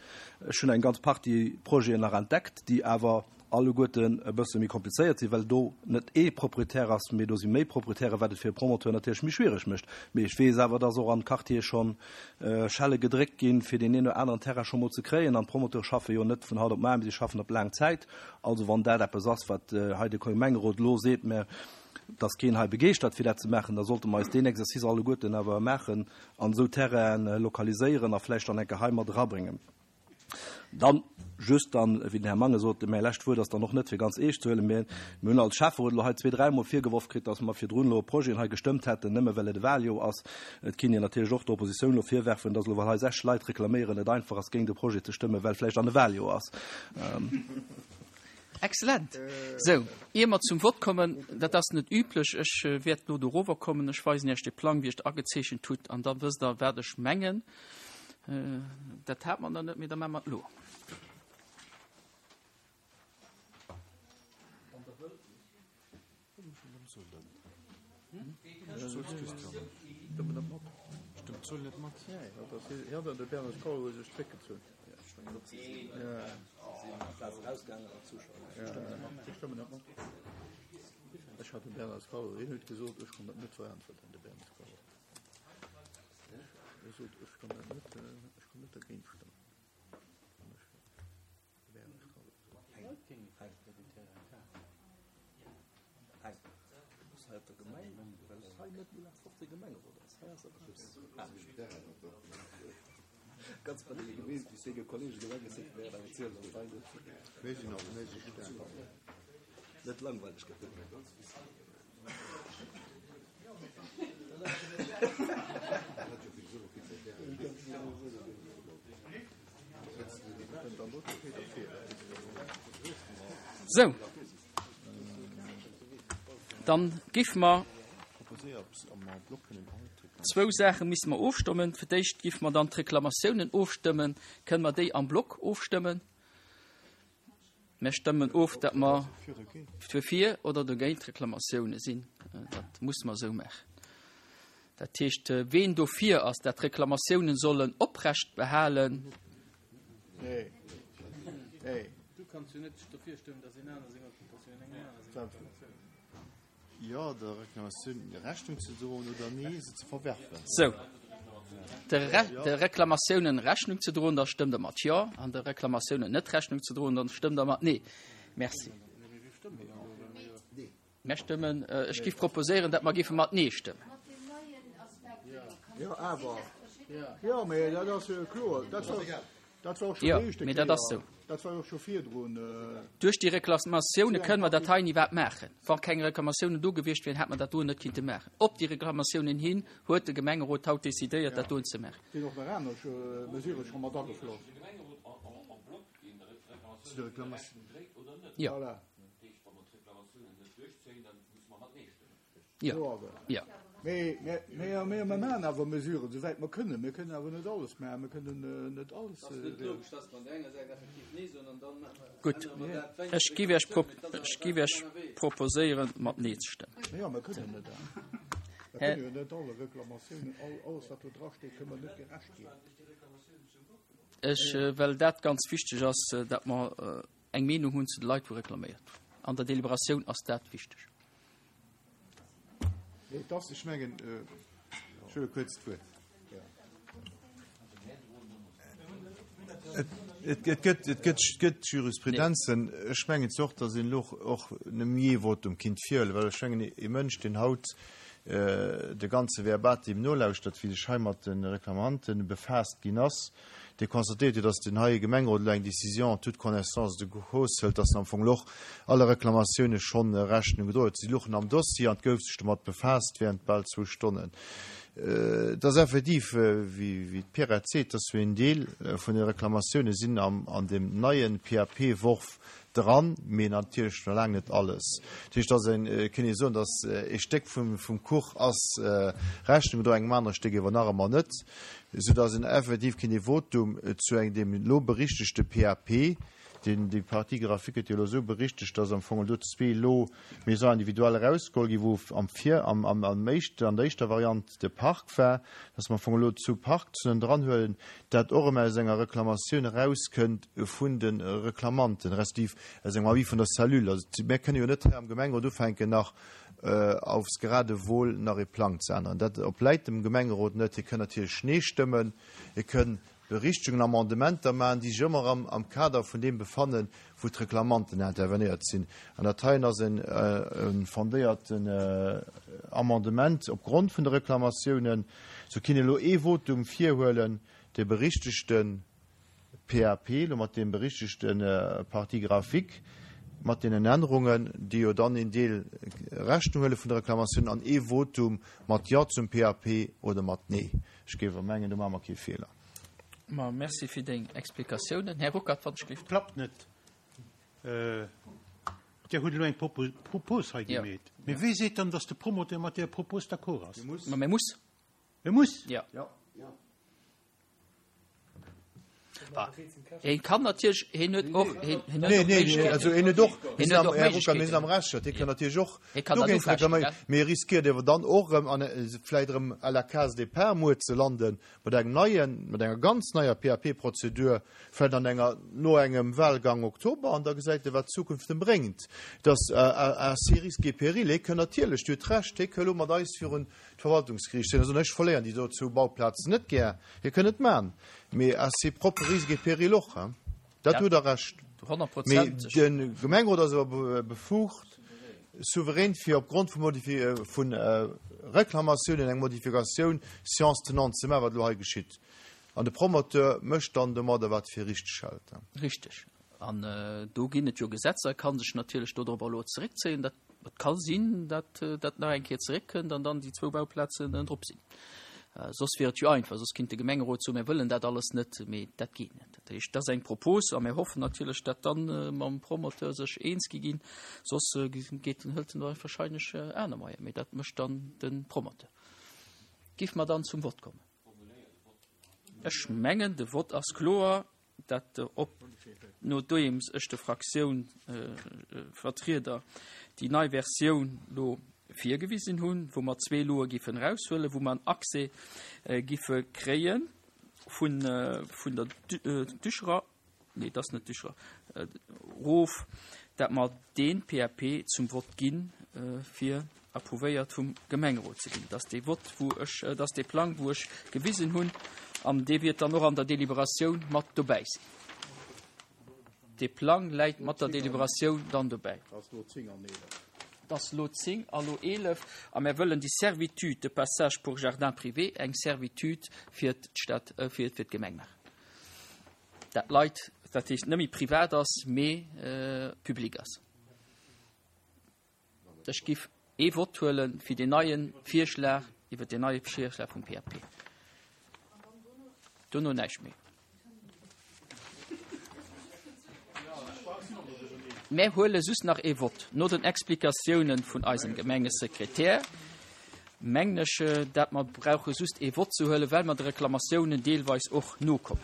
Ech hunn eng ganz Partie Projeten nach entdeckt, déi awer alleguerten e bësse méi komplizéiert sinn, well do net ee Proprietär ass, mee do si méi Proprietären, wat et fir e Promoteur natierlech méi schwiereg mécht. Mee ech weess awer, dass och an Quartiere scho Schelle gedréckt ginn, fir deen een oder aneren Terrain scho mol ze kréien. An d'Promoteure schaffe jo net vun haut op mar, mee si schaffen op laang Zäit. Also wann dat eppes ass, wat hei de Gemengerot elo seet, mä et ass keen hei begeeschtert fir dat ze maachen, da sollte mer eis deen Exercice alleguerten awer maachen an esou Terrainen lokaliséieren a vläicht dann eng Kéier hei mat erabréngen. Dann just dann, wéi den Här Mangen sot, mäi lescht Wuert ass dann och net fir ganz eescht ze huelen, mä mir hunn als Schäfferot elo hei zwee-, dräimol virgeworf kritt, dass mer virdrun elo Projeten hei gestëmmt hätten, nëmme well et e Wahljoer ass. Et kinnt een natierlech och der Oppositioun elo virwerfen, dass elo, well hei sech Leit reklaméieren, et einfach ass, géint e Projet ze stëmmen, well vläicht an e Wahljoer ass. Excellent. Sou, ier mer zum Vott kommen, dat ass net üblech, ech wäert elo dorower kommen, ech weisen Iech de Plang, wéi ech et agezeechent hutt, an da wësst Der, wat ech mengen. Dat hat mer nach net, mee da maache mer et elo. Ech sot, ech kann dat net, ech kann net dergéint stëmmen. Net langweileg gëtt. Sou, dann giff mer zwou Saache misste mer ofstëmmen. Fir d'éischt giff mer dann d'Reklamatiounen ofstëmmen. Kënne mer déi am Block ofstëmmen? Mir stëmmen of, datt mer dofir oder dogéint d'Reklamatioune sinn. Dat musse mer esou maachen. Dat heescht, ween dofir ass, datt d'Reklamatiounen sollen oprecht behalen. Nee. Nee. Du kanns jo net dofir stëmmen, datt een aner seng Occupatioun, eng aner seng Reklamatioun. Jo, der Reklamatioun Rechnung ze droen oder nee, se ze verwerfen. Sou, de Re de Reklamatiounen Rechnung ze droen, da stëmmt Der mat Jo, an de Reklamatiounen net Rechnung ze droen, dann stëmmt Der mat Nee. Merci. Mär stëmmen, ech giff proposéieren, dat mer giffe mat Nee stëmmen. Jo, awer, jo, mee dat ass jo kloer. Dat war, dat war och scho Jo, déi éischte mee dat ass Kéier. sou. Dat war jo och scho virdrun. Duerch déi Reklamatioune kënne mer dat hei iwwerhaapt maachen. Wa keng Reklamatiounen do gewiescht wieren, hätt mer dat doen net kinnte maachen. Op déi Reklamatiounen hin huet de Gemengerot haut decidéiert, dat doen ze maachen. Sinn och nach aner Mesurë scho mat agefloss. Jo. Voilà. Jo. Jo. Mee, mee, mee, mee mer maachen awer Mesuren, souwäit mer kënnen. Mir kënnen awer net alles maachen. Mir kënnen net alles. Gutt, ech giff Iech, ech giff Iech proposéieren, mat Nee ze stëmmen. Jo, mer kënnen net. Mer kënnen jo net alle Reklamatiounen, all, alles wat do drasteet, kënnen mer net gerecht ginn. Ech, well dat ganz wichteg ass, dat mer eng Meenung hunn zu de Leit, wou reklaméiert hunn. An der Deliberatioun ass dat wichteg. Ech mengen, ech huele kuerz d'Wuert. Et gëtt, et gëtt, gëtt Jurisprudenzen. Ech mengen zwar och, datt een elo och nëmme ee Votum kinnt virhuelen, well ech mengen, ee Mënsch, deen haut de ganze Verbatim nolauschtert, wéi sech hei mat de Reklamanten befaasst ginn ass, dee constatéiert huet, dass den heie Gemengerot elo eng Décision en toute connaissance de cause hëlt, dass en am Fong elo och alle Reklamatioune schonn Rechnung gedroen huet. Si luchen am Dossier an et gouf sech domat befaasst während bal zwou Stonnen. Et ass effektiv, wéi d'Pierrette seet, dass een Deel vun de Reklamatioune sinn an deem neie PAP-Worf dran, mee natierlech nach laang net alles. Dat heescht, dass een, kënnt ee soen, dass ee Stéck vum Kuch ass Rechnung gedroen, engem anere Stéck ewer nach ëmmer net, soudass een effektiv kéint ee Votum zu engem deem elo berichtegte PAP, deen déi Partie graphique gëtt jo elo esou berichtegt, dass am Fong elo zwee elo Maisons individuelles erausgeholl ginn, wou am Vir, am, am, am éischten, an der éischter Variant de Park war, dass mer am Fong elo zwou Parkzonen dranhuelen, dat och erëm aus enger Reklamatioun erauskënnt vun de Reklamanten, respektiv aus engem Avis vun der Cellule. Also mir kënne jo net hei am Gemengerot ufänken nach aufs Geradewohl nach ee Plang ze änneren. Dat obläit dem Gemengerot net. Hie kënn natierlech Nee stëmmen, hie kënn Berichtegungen, Amendementer maachen, déi sech ëmmer erëm am Kader vun deem befannen, wou d'Reklamanten intervenéiert sinn. An dat heien ass e fondéierten Amendement opgrond vun de Reklamatiounen. Sou kinnt een elo ee Votum virhuelen, de berichtegte PAP, elo mat deem berichtegte Partie graphique, mat deenen Ännerungen, déi jo dann een Deel Rechnung huele vun de Reklamatiounen, an ee Votum mat Jo zum PAP oder mat Nee. Ech géif awer mengen, do maache mer kee Feeler. Ma merci fir deng Explikatiounen. Här Ruckert, wann ech géif. Klappt net. Dir hutt elo eng Propos hei gemeet. Mee wee seet dann, datt de Promoteur mat där Propos d'accord ass? Ma mee muss. E muss? Jo. Hien kann natierlech, hien huet och, hien huet och Méiglechkeeten. Also hien huet och, hien huet och Méiglechkeeten. Mir sinn am Recht, hie kann natierlech och dogéint reklaméieren, mee e riskéiert ewer dann och erëm an vläicht erëm à la case départ muer ze landen, mat engem neien, mat enger ganz neier PAP-Prozedur, vläicht an enger, no engem Wahlgang Oktober, an da gesäit e wat d'Zukunft em bréngt. Dass à ses risques et périls, hie kënn natierlech, Dir hutt Recht, hie kënn elo mat eis virun d'Verwaltungsgeriicht sinn. Also ech verléieren déi do zwou Bauplazen net gär. Hie kënn et man, mee à ses propres risques et périls och, hein. Dat hutt Der Recht. Mee de Gemengerot ass awer befugt, souverän fir opgrond vu vu Reklamatiounen eng Modifikatioun séance tenante ze maachen, wat elo hei geschitt. An de Promoteur mécht dann domadder, wat e fir richteg hält. Richteg. An do ginn et jo Gesetzer, e ka sech natierlech dodropper elo zeréckzéien. Dat Et ka sinn, datt dat nach eng Kéier zeréckkënnt an dann déi zwou Bauplazen drop sinn. Soss wier et jo einfach, soss kinnt de Gemengerot soen, mir wëllen dat alles net, mee dat geet net. Dat heescht, dat ass eng Propos a mir hoffen natierlech, datt dann mam Promoteur sech eens gi ginn. Soss geet en, hëlt en da wahrscheinlech aner Moyen, mee dat mécht dann de Promoteur. Giff mer dann zum Vott kommen? Ech mengen, de Vott ass kloer. dat op nodeems ech de Fraktiounvertrieder déi nei Versioun lo virgewisen hunn, wou mer zwee Loe giffen eraushuelen, wou mer en Accès giffe kréie vun vun der Ducherer, nee, et ass net Ducherer, erof, dat mer dee PAP zum Vott ginn, fir approuvéiert vum Gemengerot ze ginn. Dat ass dee Vott, wou ech, dat ass dee Plang, wou ech gewisen hunn, an dee wiert dann och an der Deliberatioun mat dobäi sinn. Dee Plang läit mat der Deliberatioun dann dobäi. Et ass elo 10 a lo 11 a mär wëllen déi Servitude de passage pour jardin privé eng Servitude fir d'Stad, fir d'Gemeng maachen. Dat Leit, dat heescht net méi privat ass, mee public ass. Ech giff ee Vott huele fir deen neie Virschlag, iwwert deen neie Virschlag vum PAP. Dono näischt méi. Mär huele just nach ee Vott. No den Explikatiounen vun eisem Gemengesekretär mengen ech, dat mer brauche just ee Vott ze huelen, well mer de Reklamatiounen deelweis och nokommen.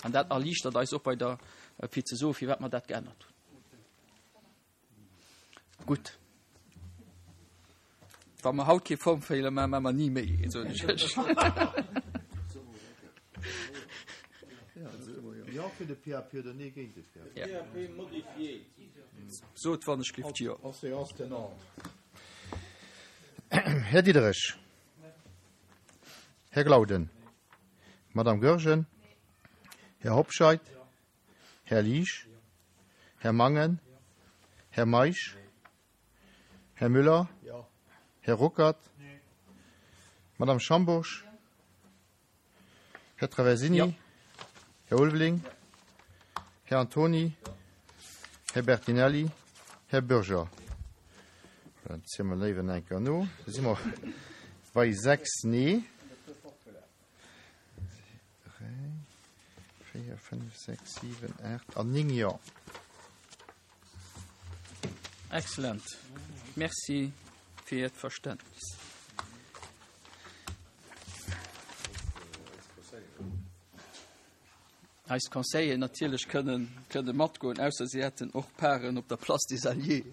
An dat erliichtert eis och bei der, fir ze soen, firwat mer dat geännert hunn. Gutt. Wa mer haut kee Formfeeler maachen, maache mer ni méi een, soen ech iech. Jo fir de PAP oder Nee géint de PAP? PAP modifié. Sot wann ech gift jo. En séance tenante. Här Diderich. Här Glauden. Madame Goergen. Här Hobscheit. Här Liesch. Här Mangen. Här Meisch. Här Müller. Här Ruckert. Madame Schambourg. Här Traversini. Här Ulveling. Här Antony. Här Bertinelli. Här Bürger. Dat ziele mer léiwer nach eng Kéier no. Da si mer bei 6 Nee. 3, 4, 5, 6, 7, 8 an 9 Jo. Excellent. Merci fir Iert Verständnis. Eis Conseilleren natierlech kënnen, kënne matgoen, ausser si hätten och Paren op der Place des Alliés.